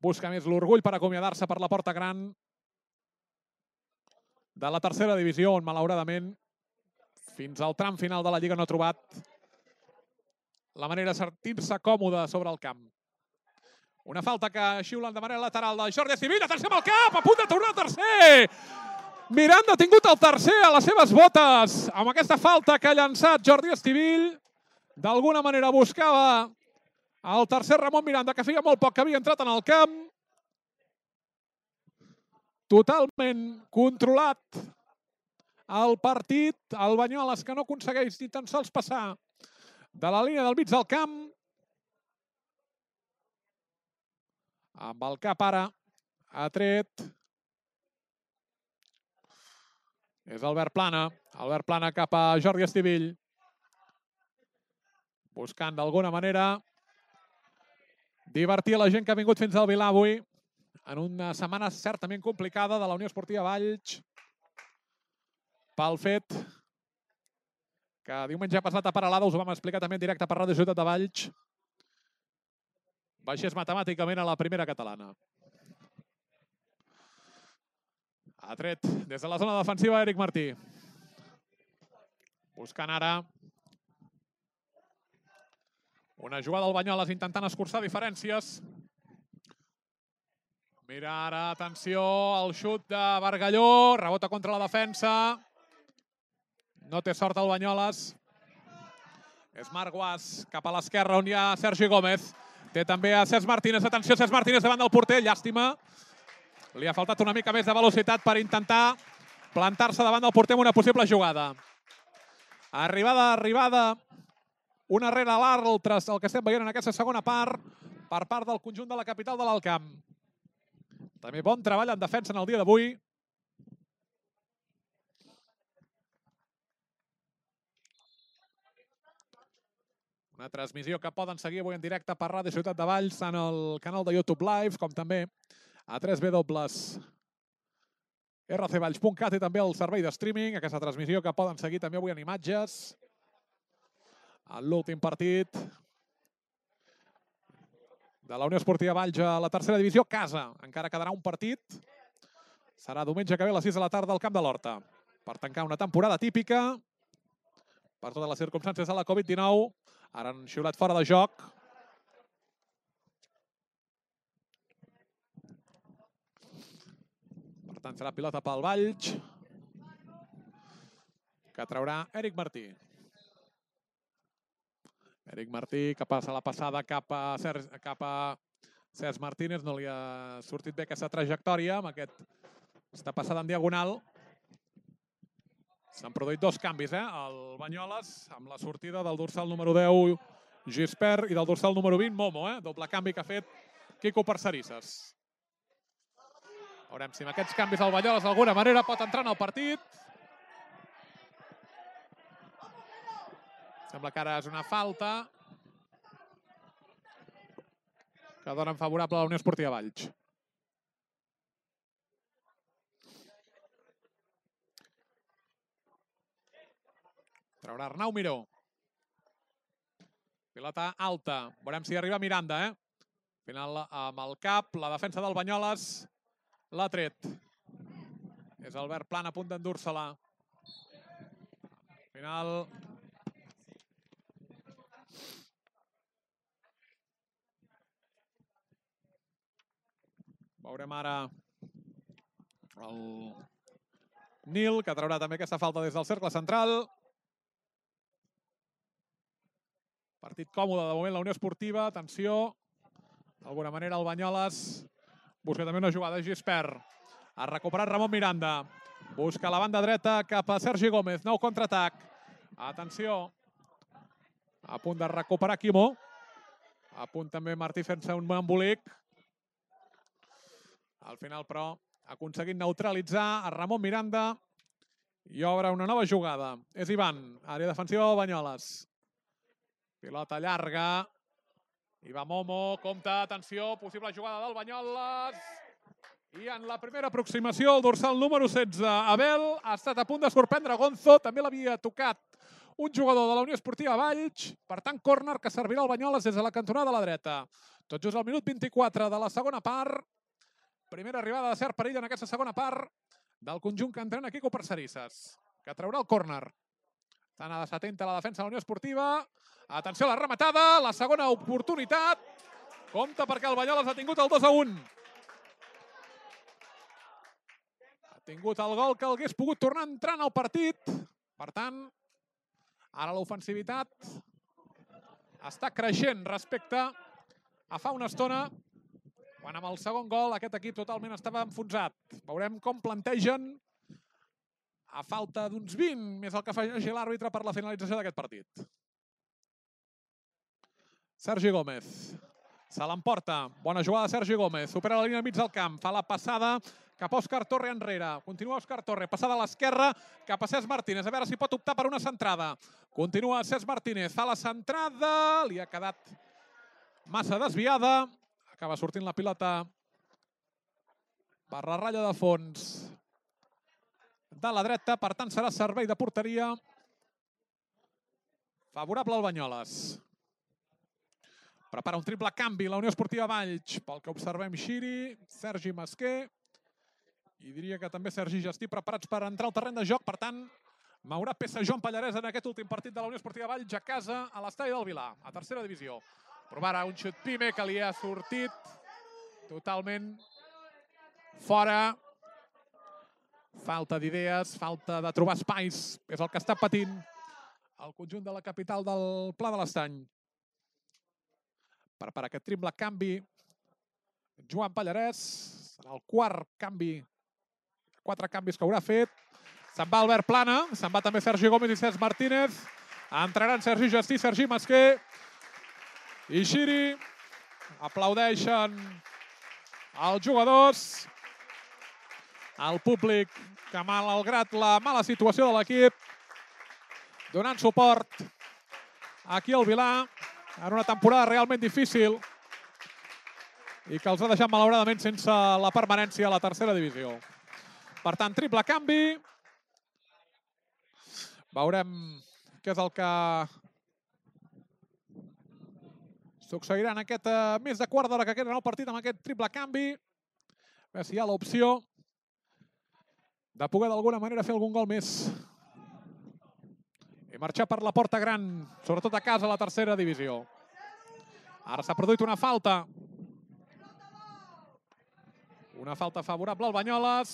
busca més l'orgull per acomiadar-se per la porta gran de la tercera divisió, on malauradament fins al tram final de la Lliga no ha trobat la manera de sentir-se còmode sobre el camp. Una falta que xiulen de manera lateral de Jordi Estivill. Atenció amb el cap, a punt de tornar al tercer. Miranda ha tingut el tercer a les seves botes amb aquesta falta que ha llançat Jordi Estivill. D'alguna manera buscava el tercer Ramon Miranda, que feia molt poc que havia entrat en el camp. Totalment controlat el partit. El Banyoles, que no aconsegueix ni tan sols passar de la línia del mig del camp. Amb el cap ara ha tret. És Albert Plana. Albert Plana cap a Jordi Estivill. Buscant d'alguna manera divertir la gent que ha vingut fins al Vilar avui en una setmana certament complicada de la Unió Esportiva Valls pel fet que diumenge passat a Peralada, us ho vam explicar també en directe per Ràdio Ciutat de Valls, baixés matemàticament a la primera catalana. Ha tret des de la zona defensiva Eric Martí. Buscant ara una jugada del Banyoles intentant escurçar diferències. Mira ara, atenció, el xut de Bargalló, rebota contra la defensa. No té sort el Banyoles. És Marc Guas cap a l'esquerra on hi ha Sergi Gómez. Té també a Cesc Martínez. Atenció, Cesc Martínez davant del porter. Llàstima. Li ha faltat una mica més de velocitat per intentar plantar-se davant del porter amb una possible jugada. Arribada, una rere l'altra, el que estem veient en aquesta segona part, per part del conjunt de la capital de l'Alt Camp. També bon treball en defensa en el dia d'avui. Una transmissió que poden seguir avui en directe per Ràdio Ciutat de Valls, en el canal de YouTube Live, com també a www.rcvalls.cat i també el servei de streaming. Aquesta transmissió que poden seguir també avui en imatges. En l'últim partit de la Unió Esportiva Valls a la tercera divisió, casa. Encara quedarà un partit. Serà diumenge que ve a les 6 de la tarda al Camp de l'Horta. Per tancar una temporada típica, per totes les circumstàncies de la Covid-19. Ara han xiulat fora de joc. Per tant, serà pilota pel Valls, que traurà Eric Martí. Eric Martí, que passa la passada cap a Cesc Martínez. No li ha sortit bé aquesta trajectòria amb aquesta passada en diagonal. S'han produït dos canvis, el Banyoles, amb la sortida del dorsal número 10, Gispert, i del dorsal número 20, Momo. Doble canvi que ha fet Quico Parcerisses. Veurem si amb aquests canvis el Banyoles d'alguna manera pot entrar en el partit. Sembla que ara és una falta que dona favorable a la Unió Esportiva Valls. Traurà Arnau Miró. Pilota alta. Veurem si arriba Miranda, Al final, amb el cap, la defensa del Banyoles l'ha tret. És Albert Plana a punt d'endur-se-la. Al final... Veurem ara el Nil, que traurà també aquesta falta des del cercle central. Partit còmode de moment la Unió Esportiva. Atenció. D'alguna manera el Banyoles busca també una jugada. Gispert. Ha recuperat Ramon Miranda. Busca la banda dreta cap a Sergi Gómez. Nou contraatac. Atenció. A punt de recuperar Quimo. A punt també Martí fent-se un embolic. Al final, però, ha aconseguit neutralitzar a Ramon Miranda i obre una nova jugada. És Ivan, àrea defensiva del Banyoles. Pilota llarga. I va Momo, compta, atenció, possible jugada del Banyoles. I en la primera aproximació, el dorsal número 16, Abel, ha estat a punt de sorprendre Gonzo. També l'havia tocat un jugador de la Unió Esportiva Valls. Per tant, córner que servirà al Banyoles des de la cantonada de la dreta. Tot just al minut 24 de la segona part. Primera arribada de cert perill en aquesta segona part del conjunt que entrena Quico Parcerisses, que traurà el córner. Estan a desatenta la defensa de la Unió Esportiva. Atenció a la rematada, la segona oportunitat. Compte perquè el Banyoles ha tingut el 2-1. Ha tingut el gol que hagués pogut tornar entrant al partit. Per tant, ara l'ofensivitat està creixent respecte a fa una estona, quan amb el segon gol aquest equip totalment estava enfonsat. Veurem com plantegen a falta d'uns 20, més el que afegeixi l'àrbitre per la finalització d'aquest partit. Sergi Gómez. Se l'emporta. Bona jugada de Sergi Gómez. Supera la línia al mig del camp. Fa la passada cap a Òscar Torre enrere. Continua Òscar Torre. Passada a l'esquerra cap a Cesc Martínez. A veure si pot optar per una centrada. Continua Cesc Martínez. Fa la centrada. Li ha quedat massa desviada. Acaba sortint la pilota per la ratlla de fons de la dreta. Per tant, serà servei de porteria favorable al Banyoles. Prepara un triple canvi la Unió Esportiva Valls. Pel que observem, Xiri, Sergi Masquer i diria que també Sergi Gestí preparats per entrar al terreny de joc. Per tant, mourà peça Joan Pallarès en aquest últim partit de la Unió Esportiva Valls a casa a l'estadi del Vilar, a tercera divisió. Provarà un xut Pime que li ha sortit totalment fora. Falta d'idees, falta de trobar espais. És el que està patint el conjunt de la capital del Pla de l'Estany. Per aquest triple canvi, Joan Pallarès, serà el quart canvi, 4 canvis que haurà fet. Se'n va Albert Plana, se'n va també Sergi Gómez i Cesc Martínez. Entraran Sergi Gestí, Sergi Masquer i Xiri. Aplaudeixen els jugadors. El públic que, malgrat la mala situació de l'equip, donant suport aquí al Vilar, en una temporada realment difícil i que els ha deixat malauradament sense la permanència a la tercera divisió. Per tant, triple canvi. Veurem què és el que succeirà en aquest més de quart d'hora que queda en el partit amb aquest triple canvi. A veure si hi ha l'opció de poder d'alguna manera fer algun gol més i marxar per la porta gran, sobretot a casa a la tercera divisió. Ara s'ha produït una falta. Una falta favorable al Banyoles.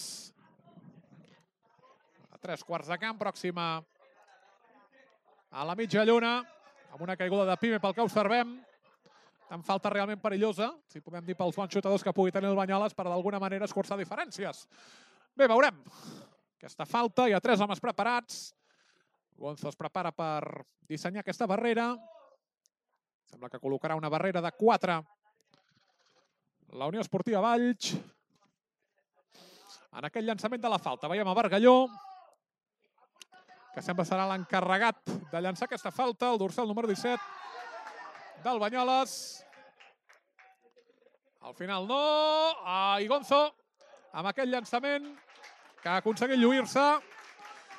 A 3/4 de camp, pròxima a la mitja lluna, amb una caiguda de Pime pel que observem. Amb falta realment perillosa, si podem dir pels bons xutadors que pugui tenir el Banyoles, per d'alguna manera escurçar diferències. Bé, veurem aquesta falta. Hi ha 3 homes preparats. Gonzo es prepara per dissenyar aquesta barrera. Sembla que col·locarà una barrera de 4. La Unió Esportiva Valls. En aquest llançament de la falta veiem a Bargalló, que sembla serà l'encarregat de llançar aquesta falta, el dorsal número 17 del Banyoles. Al final no. I Gonzo, amb aquest llançament que ha aconseguit lluir-se.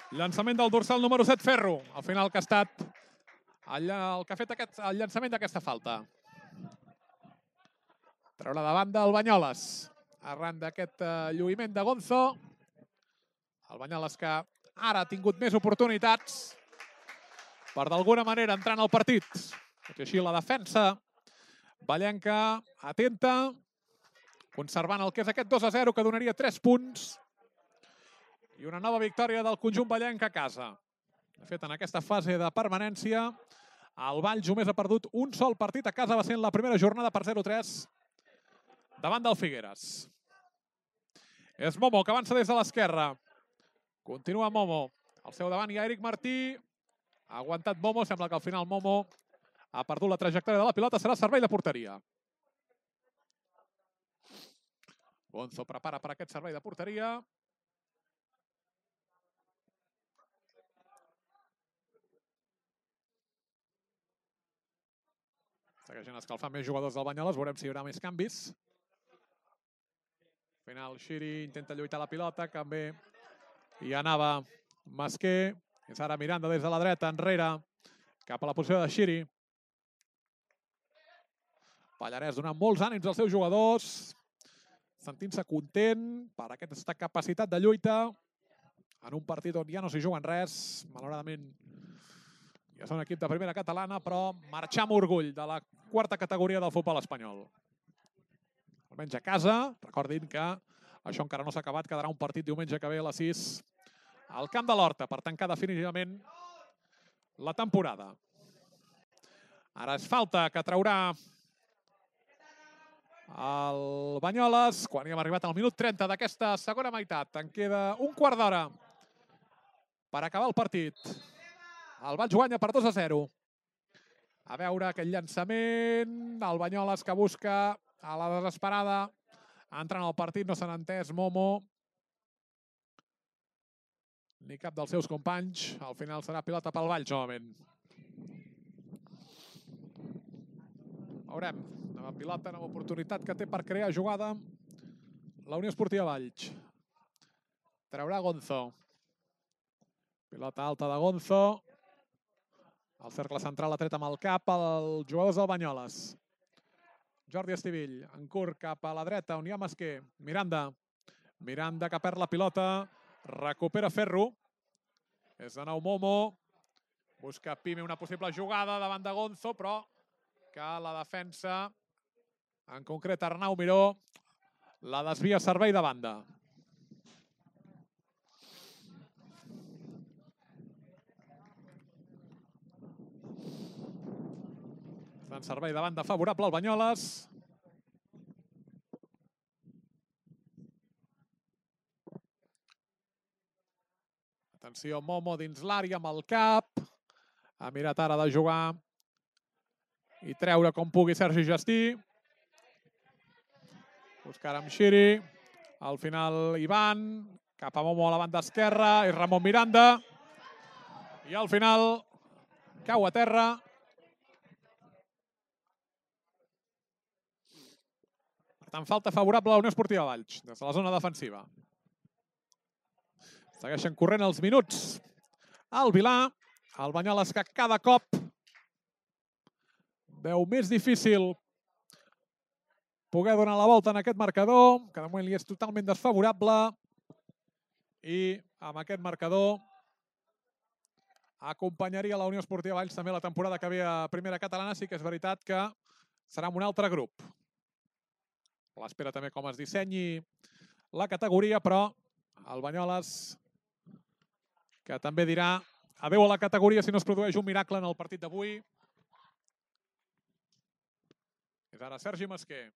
Llançament del dorsal número 7, Ferro. Al final que ha estat el que ha fet el llançament d'aquesta falta. Treurà de banda el Banyoles. Arran d'aquest lluïment de Gonzo. El Banyoles que ara ha tingut més oportunitats per d'alguna manera entrar en el partit. Tot i així la defensa vallenca atenta, conservant el que és aquest 2-0 que donaria 3 punts. I una nova victòria del conjunt vallenc a casa. De fet, en aquesta fase de permanència, el Valls només ha perdut un sol partit a casa. Va ser en la primera jornada per 0-3 davant del Figueres. És Momo que avança des de l'esquerra. Continua Momo. Al seu davant hi ha Eric Martí. Ha aguantat Momo. Sembla que al final Momo ha perdut la trajectòria de la pilota. Serà servei de porteria. Gonzo prepara per aquest servei de porteria. Segueixen escalfant més jugadors del Banyoles. Veurem si hi haurà més canvis. Al final, Xiri intenta lluitar la pilota. També hi anava Masquer. És ara Miranda des de la dreta, enrere, cap a la posició de Xiri. Pallarès donant molts ànims als seus jugadors, sentint-se content per aquesta capacitat de lluita en un partit on ja no s'hi juguen res. Malauradament, ja són equip de primera catalana, però marxar amb orgull de la quarta categoria del futbol espanyol. Almenys a casa, recordin que això encara no s'ha acabat, quedarà un partit diumenge que ve a les 6 al Camp de l'Horta per tancar definitivament la temporada. Ara és falta que traurà el Banyoles quan hi hem arribat al minut 30 d'aquesta segona meitat. En queda un quart d'hora per acabar el partit. El Valls guanya per 2-0. A veure aquell llançament, el Banyoles que busca a la desesperada. Entra en el partit, no s'han entès Momo ni cap dels seus companys. Al final serà pilota pel Valls novament. Veurem, nova pilota, nova oportunitat que té per crear jugada la Unió Esportiva Valls. Traurà Gonzo. Pilota alta de Gonzo. El cercle central ha tret amb el cap els jugadors del Banyoles. Jordi Estivill, en curt cap a la dreta, on hi ha Masquer. Miranda. Miranda que perd la pilota. Recupera Ferro. És de nou Momo. Busca Pime una possible jugada davant de Gonzo, però que la defensa, en concret Arnau Miró, la desvia a servei de banda. En servei de banda favorable al Banyoles. Atenció, Momo dins l'àrea amb el cap. Ha mirat ara de jugar i treure com pugui Sergi Gestí. Buscar amb Xiri. Al final Ivan. Cap a Momo a la banda esquerra. I Ramon Miranda. I al final cau a terra. Per tant, falta favorable a la Unió Esportiva Valls, des de la zona defensiva. Segueixen corrent els minuts. El Vilà, el Banyoles que cada cop veu més difícil poder donar la volta en aquest marcador, que de moment li és totalment desfavorable. I amb aquest marcador acompanyaria la Unió Esportiva Valls també la temporada que ve a Primera Catalana. Sí que és veritat que serà amb un altre grup. L'espera també com es dissenyi la categoria, però el Banyoles que també dirà adeu a la categoria si no es produeix un miracle en el partit d'avui. És ara Sergi Masquer.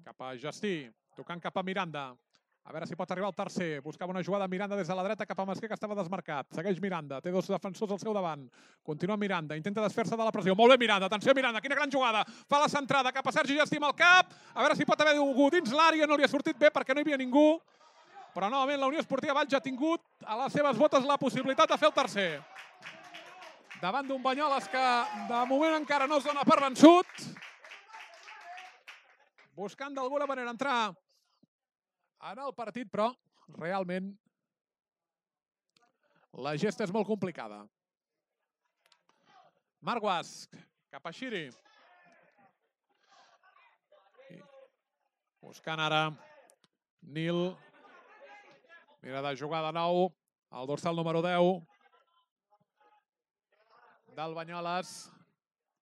Cap a Gestí, tocant cap a Miranda. A veure si pot arribar el tercer. Buscava una jugada Miranda des de la dreta cap a Masquer, que estava desmarcat. Segueix Miranda, té dos defensors al seu davant. Continua Miranda, intenta desfer-se de la pressió. Molt bé Miranda, atenció Miranda, quina gran jugada. Fa la centrada cap a Sergi Gestí amb el cap. A veure si pot haver algú dins l'àrea, no li ha sortit bé perquè no hi havia ningú. Però novament la Unió Esportiva Valls ha tingut a les seves botes la possibilitat de fer el tercer. Davant d'un Banyoles que de moment encara no es dona per vençut. Buscant d'alguna manera entrar en el partit, però realment la gesta és molt complicada. Marc Guasch, cap a Xiri. Buscant ara Nil. Mira de jugar de nou el dorsal número 10 del Banyoles.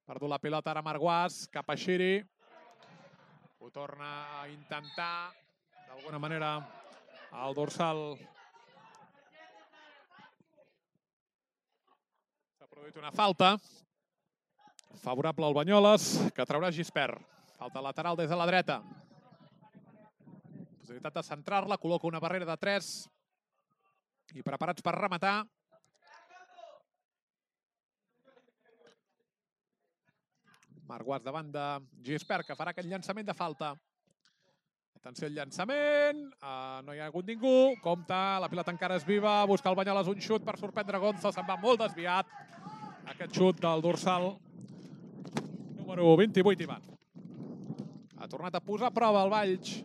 Perdut la pilota ara Marc Guasch, cap a Xiri. Ho torna a intentar d'alguna manera el dorsal. S'ha produït una falta favorable al Banyoles, que traurà Gispert. Falta lateral des de la dreta. Possibilitat de centrar-la, col·loca una barrera de 3 i preparats per rematar. Marc Guasch davant de Gispert, que farà aquest llançament de falta. Atenció al llançament, no hi ha hagut ningú, compta, la pilota encara és viva, busca el Banyoles un xut per sorprendre Gonzo, se'n va molt desviat. Aquest xut del dorsal número 28, Ivan. Ha tornat a posar a prova el Valls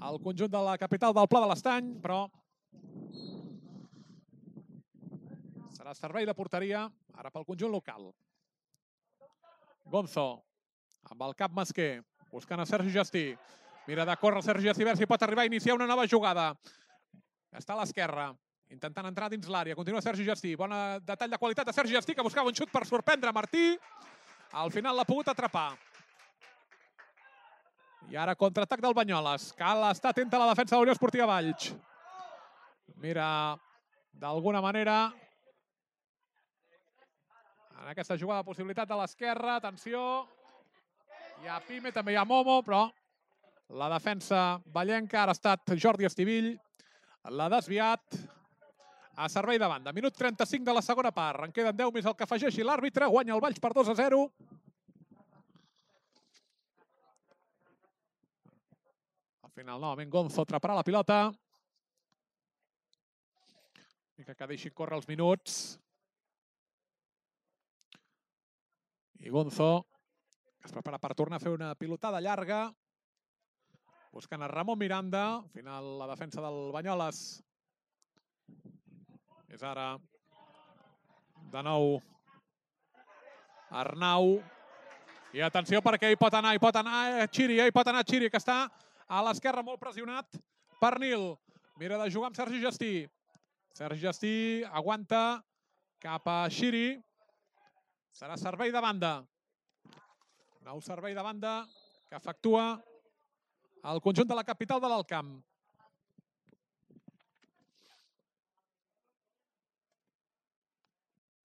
al conjunt de la capital del Pla de l'Estany, però serà servei de porteria ara pel conjunt local. Gonzo, Amb el cap Masquer, buscant a Sergi Gestí. Mira de córrer Sergi Gestí, a veure si pot arribar a iniciar una nova jugada. Està a l'esquerra, intentant entrar dins l'àrea. Continua Sergi Gestí. Bon detall de qualitat de Sergi Gestí, que buscava un xut per sorprendre Martí. Al final l'ha pogut atrapar. I ara contraatac del Banyoles. Cal estar atenta a la defensa de la Unió Esportiva Valls. Mira, d'alguna manera, en aquesta jugada, possibilitat de l'esquerra. Atenció. Hi ha Pime, també hi ha Momo, però la defensa vallenca ara ha estat Jordi Estivill. L'ha desviat a servei de banda. Minut 35 de la segona part. En queden 10 més el que afegeixi l'àrbitre. Guanya el Valls per 2-0. Al final, novament, Gonzo atraparà la pilota. I que deixi córrer els minuts. I Gonzo es prepara per tornar a fer una pilotada llarga. Buscant a Ramon Miranda. Al final, la defensa del Banyoles és ara de nou Arnau. I atenció perquè hi pot anar Xiri, que està a l'esquerra molt pressionat per Nil. Mira de jugar amb Sergi Gestí. Sergi Gestí aguanta cap a Xiri. Serà servei de banda. Nou servei de banda que efectua el conjunt de la capital de l'Alt Camp.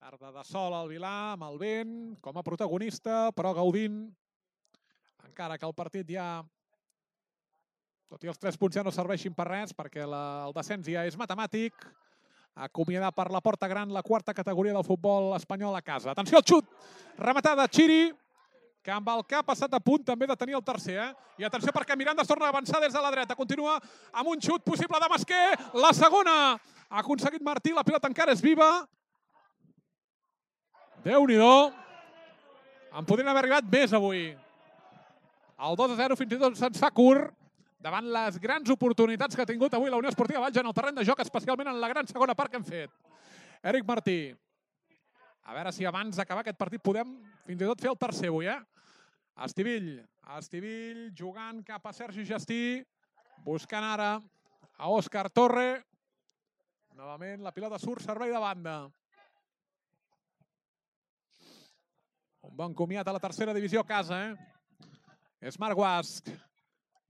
Tarda de sol al Vilar, amb el vent, com a protagonista, però gaudint. Encara que el partit ja, tot i els 3 punts ja no serveixin per res, perquè el descens ja és matemàtic. Acomiadar per la porta gran la 4a categoria del futbol espanyol a casa. Atenció al xut! Rematada Xiri, que amb el cap ha estat a punt també de tenir el tercer. I atenció perquè Miranda es torna a avançar des de la dreta. Continua amb un xut possible de Masquer. La segona ha aconseguit Martí. La pilota encara és viva. Déu-n'hi-do. En podrien haver arribat més avui. El 2-0 fins i tot se'ns fa curt davant les grans oportunitats que ha tingut avui la Unió Esportiva Valls en el terreny de joc, especialment en la gran segona part que hem fet. Eric Martí. A veure si abans d'acabar aquest partit podem fins i tot fer el tercer avui, Estivill jugant cap a Sergi Gestí, buscant ara a Òscar Torre. Novament la pilota surt, servei de banda. Un bon comiat a la tercera divisió a casa, És Marc Guasc.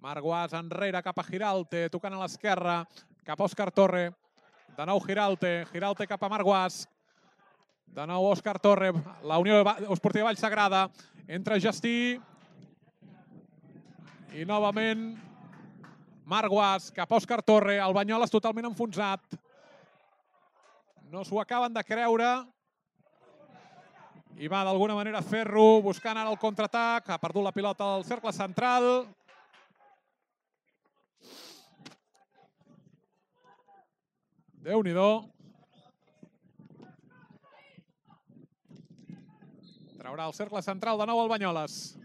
Marc Guasc enrere cap a Giralte, tocant a l'esquerra, cap a Òscar Torre. De nou Giralte cap a Marc Guasc. De nou Òscar Torre, la Unió Esportiva Valls Sagrada. Entra Gestí. I novament Marc Guasc cap a Òscar Torre. El Banyoles totalment enfonsat. No s'ho acaben de creure. I va d'alguna manera Ferro buscant ara el contraatac. Ha perdut la pilota al cercle central. Déu-n'hi-do. Traurà el cercle central de nou el Banyoles.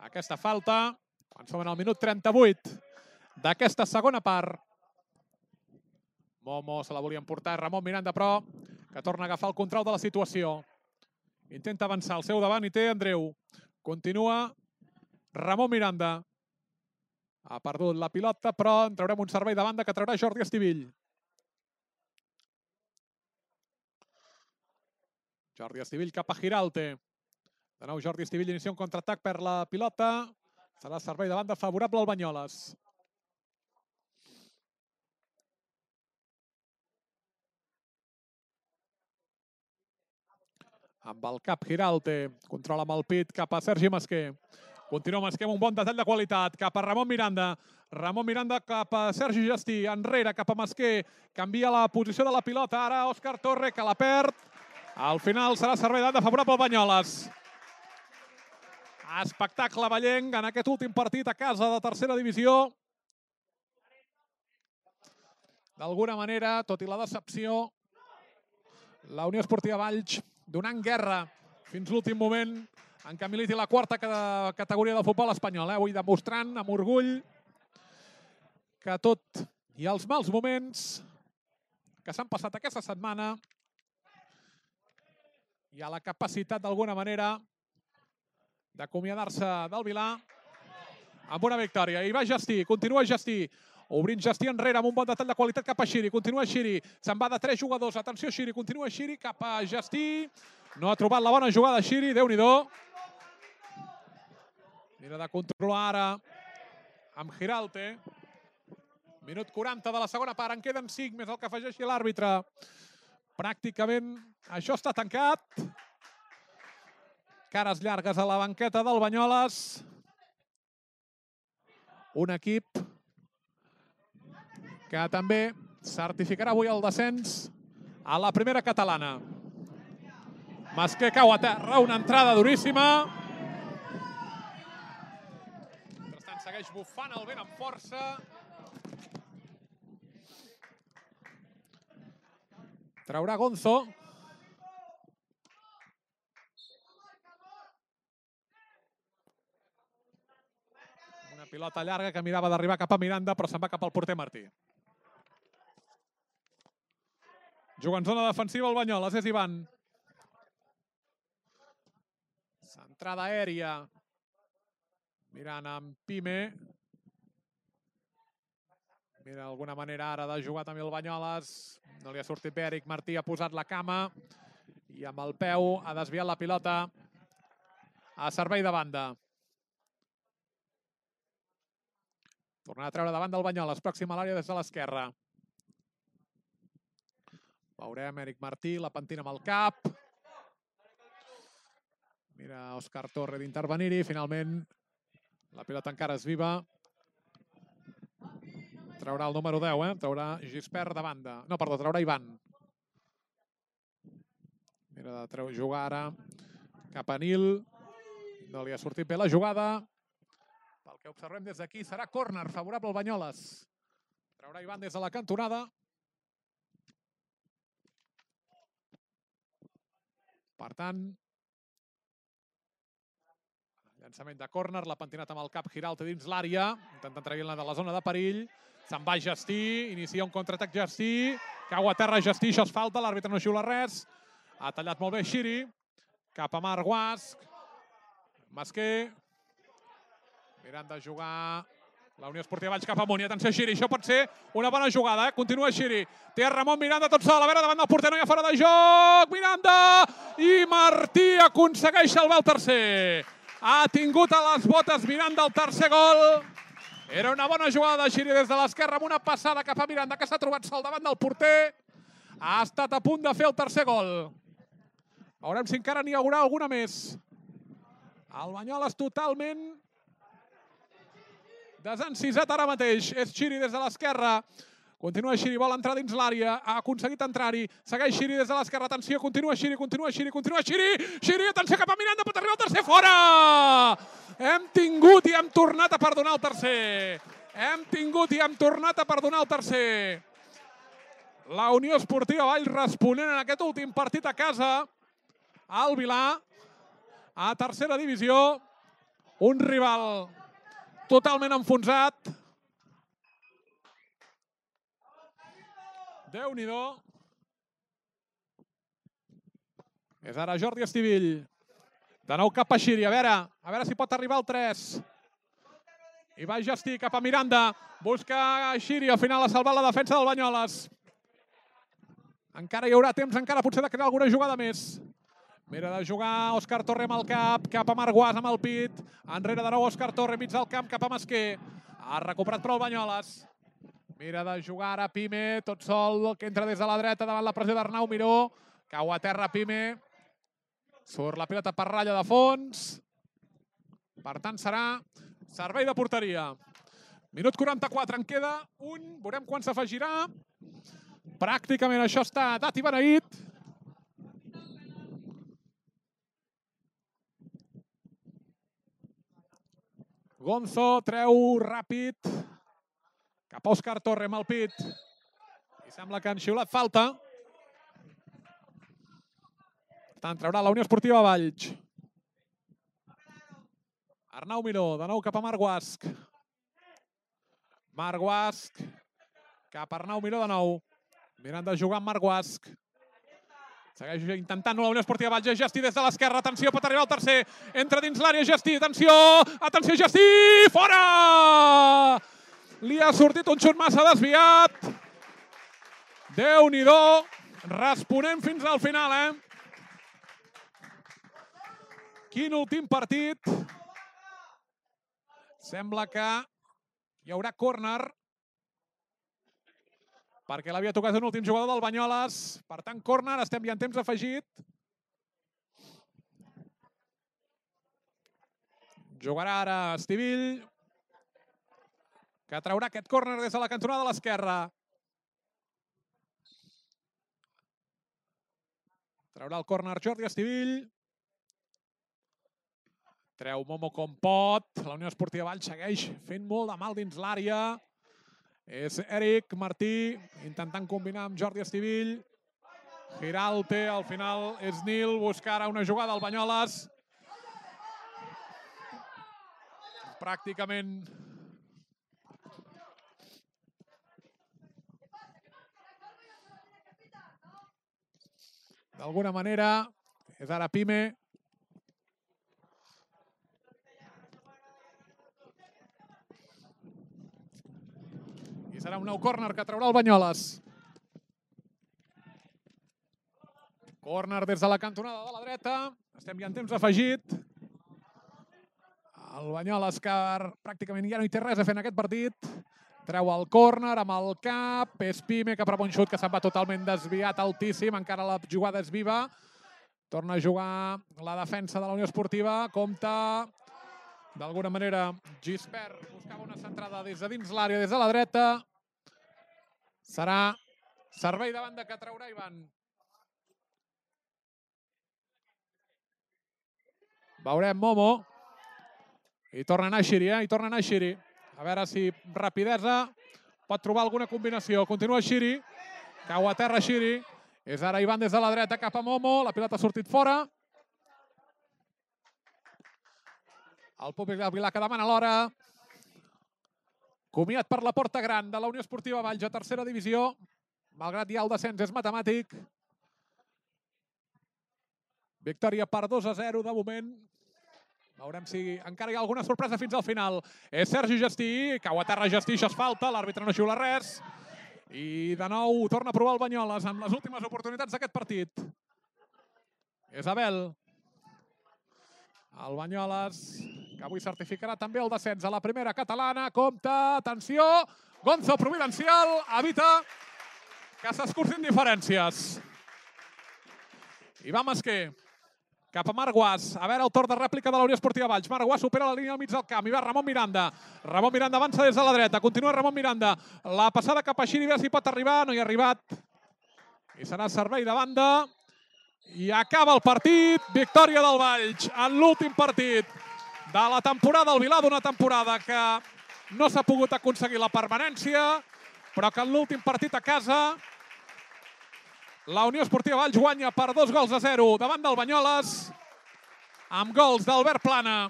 Aquesta falta, quan som en el minut 38 d'aquesta segona part. Momo se la volia emportar Ramon Miranda, però que torna a agafar el control de la situació. Intenta avançar al seu davant i té Andreu. Continua Ramon Miranda. Ha perdut la pilota, però en traurem un servei de banda que traurà Jordi Estivill. Jordi Estivill cap a Giralte. De nou Jordi Estivill inicia un contraatac per la pilota. Serà servei de banda favorable al Banyoles. Amb el cap Giralte. Controla amb el pit cap a Sergi Masquer. Continua Masquer amb un bon detall de qualitat. Cap a Ramon Miranda. Ramon Miranda cap a Sergi Gestí. Enrere cap a Masquer. Canvia la posició de la pilota. Ara Òscar Torre, que la perd. Al final serà servei de banda favorable al Banyoles. Espectacle vallenc en aquest últim partit a casa de tercera divisió. D'alguna manera, tot i la decepció, la Unió Esportiva Valls donant guerra fins l'últim moment en què militi la 4a categoria del futbol espanyol. Avui demostrant amb orgull que tot i els mals moments que s'han passat aquesta setmana hi ha la capacitat d'alguna manera d'acomiadar-se del Vilà amb una victòria. I va Gestí, continua Gestí, obrint Gestí enrere amb un bon detall de qualitat cap a Xiri, continua Xiri, se'n va de 3 jugadors, atenció Xiri, continua Xiri cap a Gestí, no ha trobat la bona jugada Xiri, Déu-n'hi-do. Mira de controlar ara amb Giralte. Minut 40 de la segona part, en queden 5, més el que afegeixi l'àrbitre. Pràcticament això està tancat. Cares llargues a la banqueta del Banyoles. Un equip que també certificarà avui el descens a la primera catalana. Masqué cau a terra, una entrada duríssima. Mentrestant segueix bufant el vent amb força. Traurà Gonzo. Una pilota llarga que mirava d'arribar cap a Miranda, però se'n va cap al porter Martí. Juga en zona defensiva el Banyoles, és Ivan. Centrada aèria. Mirant amb Pime. Mira, d'alguna manera ara de jugar també el Banyoles. No li ha sortit bé, Eric Martí ha posat la cama i amb el peu ha desviat la pilota a servei de banda. Tornarà a treure davant del Banyoles, pròxim a l'àrea des de l'esquerra. Veurem Eric Martí, la pentina amb el cap. Mira Òscar Torre d'intervenir-hi, finalment la pilota encara és viva. Traurà el número 10, traurà Gispert de banda. No, perdó, traurà Ivan. Mira de jugar ara cap a Nil. No li ha sortit bé la jugada. Pel que observem des d'aquí serà córner favorable al Banyoles. Traurà Ivan des de la cantonada. Per tant, llançament de córner, l'ha pentinat amb el cap Giralte dins l'àrea, intentant treure-la de la zona de perill. Se'n va Gestí, inicia un contraatac Gestí, cau a terra Gestí, això és falta, l'àrbitre no xiula res. Ha tallat molt bé Xiri, cap a Marc Guasc. Masqué, mirant de jugar la Unió Esportiva Valls cap amunt, i atenció Xiri, això pot ser una bona jugada, Continua Xiri, té Ramon Miranda tot sol, a veure, davant del porter no hi ha fora de joc, Miranda, i Martí aconsegueix salvar el tercer. Ha tingut a les botes Miranda el tercer gol. Era una bona jugada de Xiri des de l'esquerra amb una passada cap a Miranda que s'ha trobat sol davant del porter. Ha estat a punt de fer el tercer gol. Veurem si encara n'hi haurà alguna més. El Banyoles totalment desencisat ara mateix. És Xiri des de l'esquerra. Continua Xiri, vol entrar dins l'àrea. Ha aconseguit entrar-hi. Segueix Xiri des de l'esquerra. Atenció, continua Xiri, continua Xiri, continua Xiri. Xiri, atenció cap a Miranda, pot arribar el tercer fora! Hem tingut i hem tornat a perdonar el tercer. Hem tingut i hem tornat a perdonar el tercer. La Unió Esportiva Valls responent en aquest últim partit a casa. Al Vilà, a tercera divisió. Un rival totalment enfonsat. Déu-n'hi-do. És ara Jordi Estivill. De nou cap a Xiri, a veure si pot arribar al 3. I va Gestí cap a Miranda. Busca Xiri, al final ha salvat la defensa del Banyoles. Encara hi haurà temps, encara potser de crear alguna jugada més. Mira de jugar Òscar Torre amb el cap a Marc Guas amb el pit. Enrere de nou Òscar Torre, mig del camp cap a Masqué. Ha recuperat però el Banyoles. Mira de jugar ara Pime, tot sol, que entra des de la dreta davant la pressió d'Arnau Miró. Cau a terra Pime. Surt la pilota per ratlla de fons. Per tant, serà servei de porteria. Minut 44, en queda un. Veurem quan s'afegirà. Pràcticament això està dat i beneït. Gonzo treu ràpid cap a Òscar Torre amb el pit. I sembla que han xiulat falta. Per tant, traurà la Unió Esportiva Valls. Arnau Miró, de nou cap a Marc Guasc. Marc Guasc cap a Arnau Miró de nou. Mirant de jugar amb Marc Guasc. Segueix intentant-ho la Unió Esportiva Valls. Gestí des de l'esquerra. Atenció, pot arribar el tercer. Entra dins l'àrea Gestí. Atenció! Atenció, Gestí! Fora! Li ha sortit un xut massa desviat. Déu-n'hi-do. Responem fins al final, Quin últim partit. Sembla que hi haurà córner perquè l'havia tocat un últim jugador del Banyoles. Per tant, córner, estem ja en temps afegit. Jugarà ara Estivill, que traurà aquest córner des de la cantonada de l'esquerra. Traurà el córner Jordi Estivill. Treu Momo com pot. La Unió Esportiva Valls segueix fent molt de mal dins l'àrea. És Eric Martí intentant combinar amb Jordi Estivill. Giralte, al final és Nil, busca ara una jugada al Banyoles. Pràcticament d'alguna manera és ara Pime. I serà un nou córner que traurà el Banyoles. Córner des de la cantonada de la dreta. Estem ja en temps afegit. El Banyoles, que pràcticament ja no hi té res a fer en aquest partit. Treu el córner amb el cap. És Pime, que prova un xut que se'n va totalment desviat, altíssim. Encara la jugada és viva. Torna a jugar la defensa de la Unió Esportiva. Compta, d'alguna manera, Gispert buscava una centrada des de dins l'àrea, des de la dreta. Serà servei de banda que traurà Ivan. Veurem Momo. I torna a anar Xiri, I torna a anar Xiri. A veure si rapidesa pot trobar alguna combinació. Continua Xiri. Cau a terra Xiri. És ara Ivan des de la dreta cap a Momo. La pilota ha sortit fora. El públic del Vilà que demana l'hora. Comiat per la porta gran de la Unió Esportiva Valls a tercera divisió. Malgrat ja el descens és matemàtic. Victòria per 2-0 de moment. Veurem si encara hi ha alguna sorpresa fins al final. És Sergi Gestí, cau a terra Gestí, això és falta, l'àrbitre no xiula res. I de nou torna a provar el Banyoles amb les últimes oportunitats d'aquest partit. És Abel. El Banyoles, que avui certificarà també el descens a la primera catalana. Compte, atenció, Gonzo Providencial evita que s'escurcin diferències. Ivan Masquer, cap a Marc Guas. A veure el torn de rèplica de la Unió Esportiva Valls. Marc Guas supera la línia al mig del camp. I va Ramon Miranda. Ramon Miranda avança des de la dreta. Continua Ramon Miranda. La passada cap a Xiri, a veure si pot arribar. No hi ha arribat. I serà servei de banda. I acaba el partit. Victòria del Valls en l'últim partit de la temporada al Vilà, d'una temporada que no s'ha pogut aconseguir la permanència, però que en l'últim partit a casa la Unió Esportiva Valls guanya per 2-0 davant del Banyoles, amb gols d'Albert Plana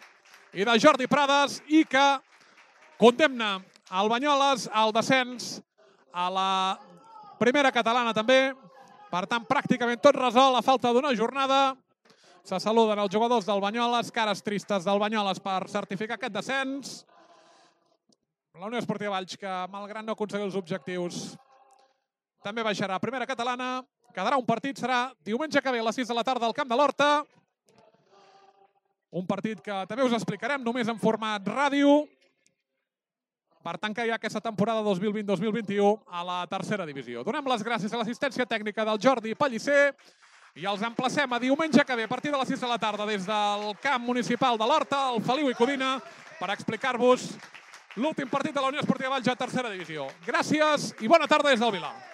i de Jordi Prades, i que condemna el Banyoles al descens a la primera catalana també. Per tant, pràcticament tot resol a falta d'una jornada. Se saluden els jugadors del Banyoles, cares tristes del Banyoles per certificar aquest descens. La Unió Esportiva Valls, que malgrat no aconseguir els objectius, també baixarà a primera catalana. Quedarà un partit, serà diumenge que ve a les 6 de la tarda al Camp de l'Horta. Un partit que també us explicarem només en format ràdio. Per tant, que hi ha aquesta temporada 2020-2021 a la tercera divisió. Donem les gràcies a l'assistència tècnica del Jordi Pellicer i els emplacem a diumenge que ve a partir de les 6 de la tarda des del camp municipal de l'Horta, al Feliu i Codina, per explicar-vos l'últim partit de la Unió Esportiva Valls a tercera divisió. Gràcies i bona tarda des del Vilà.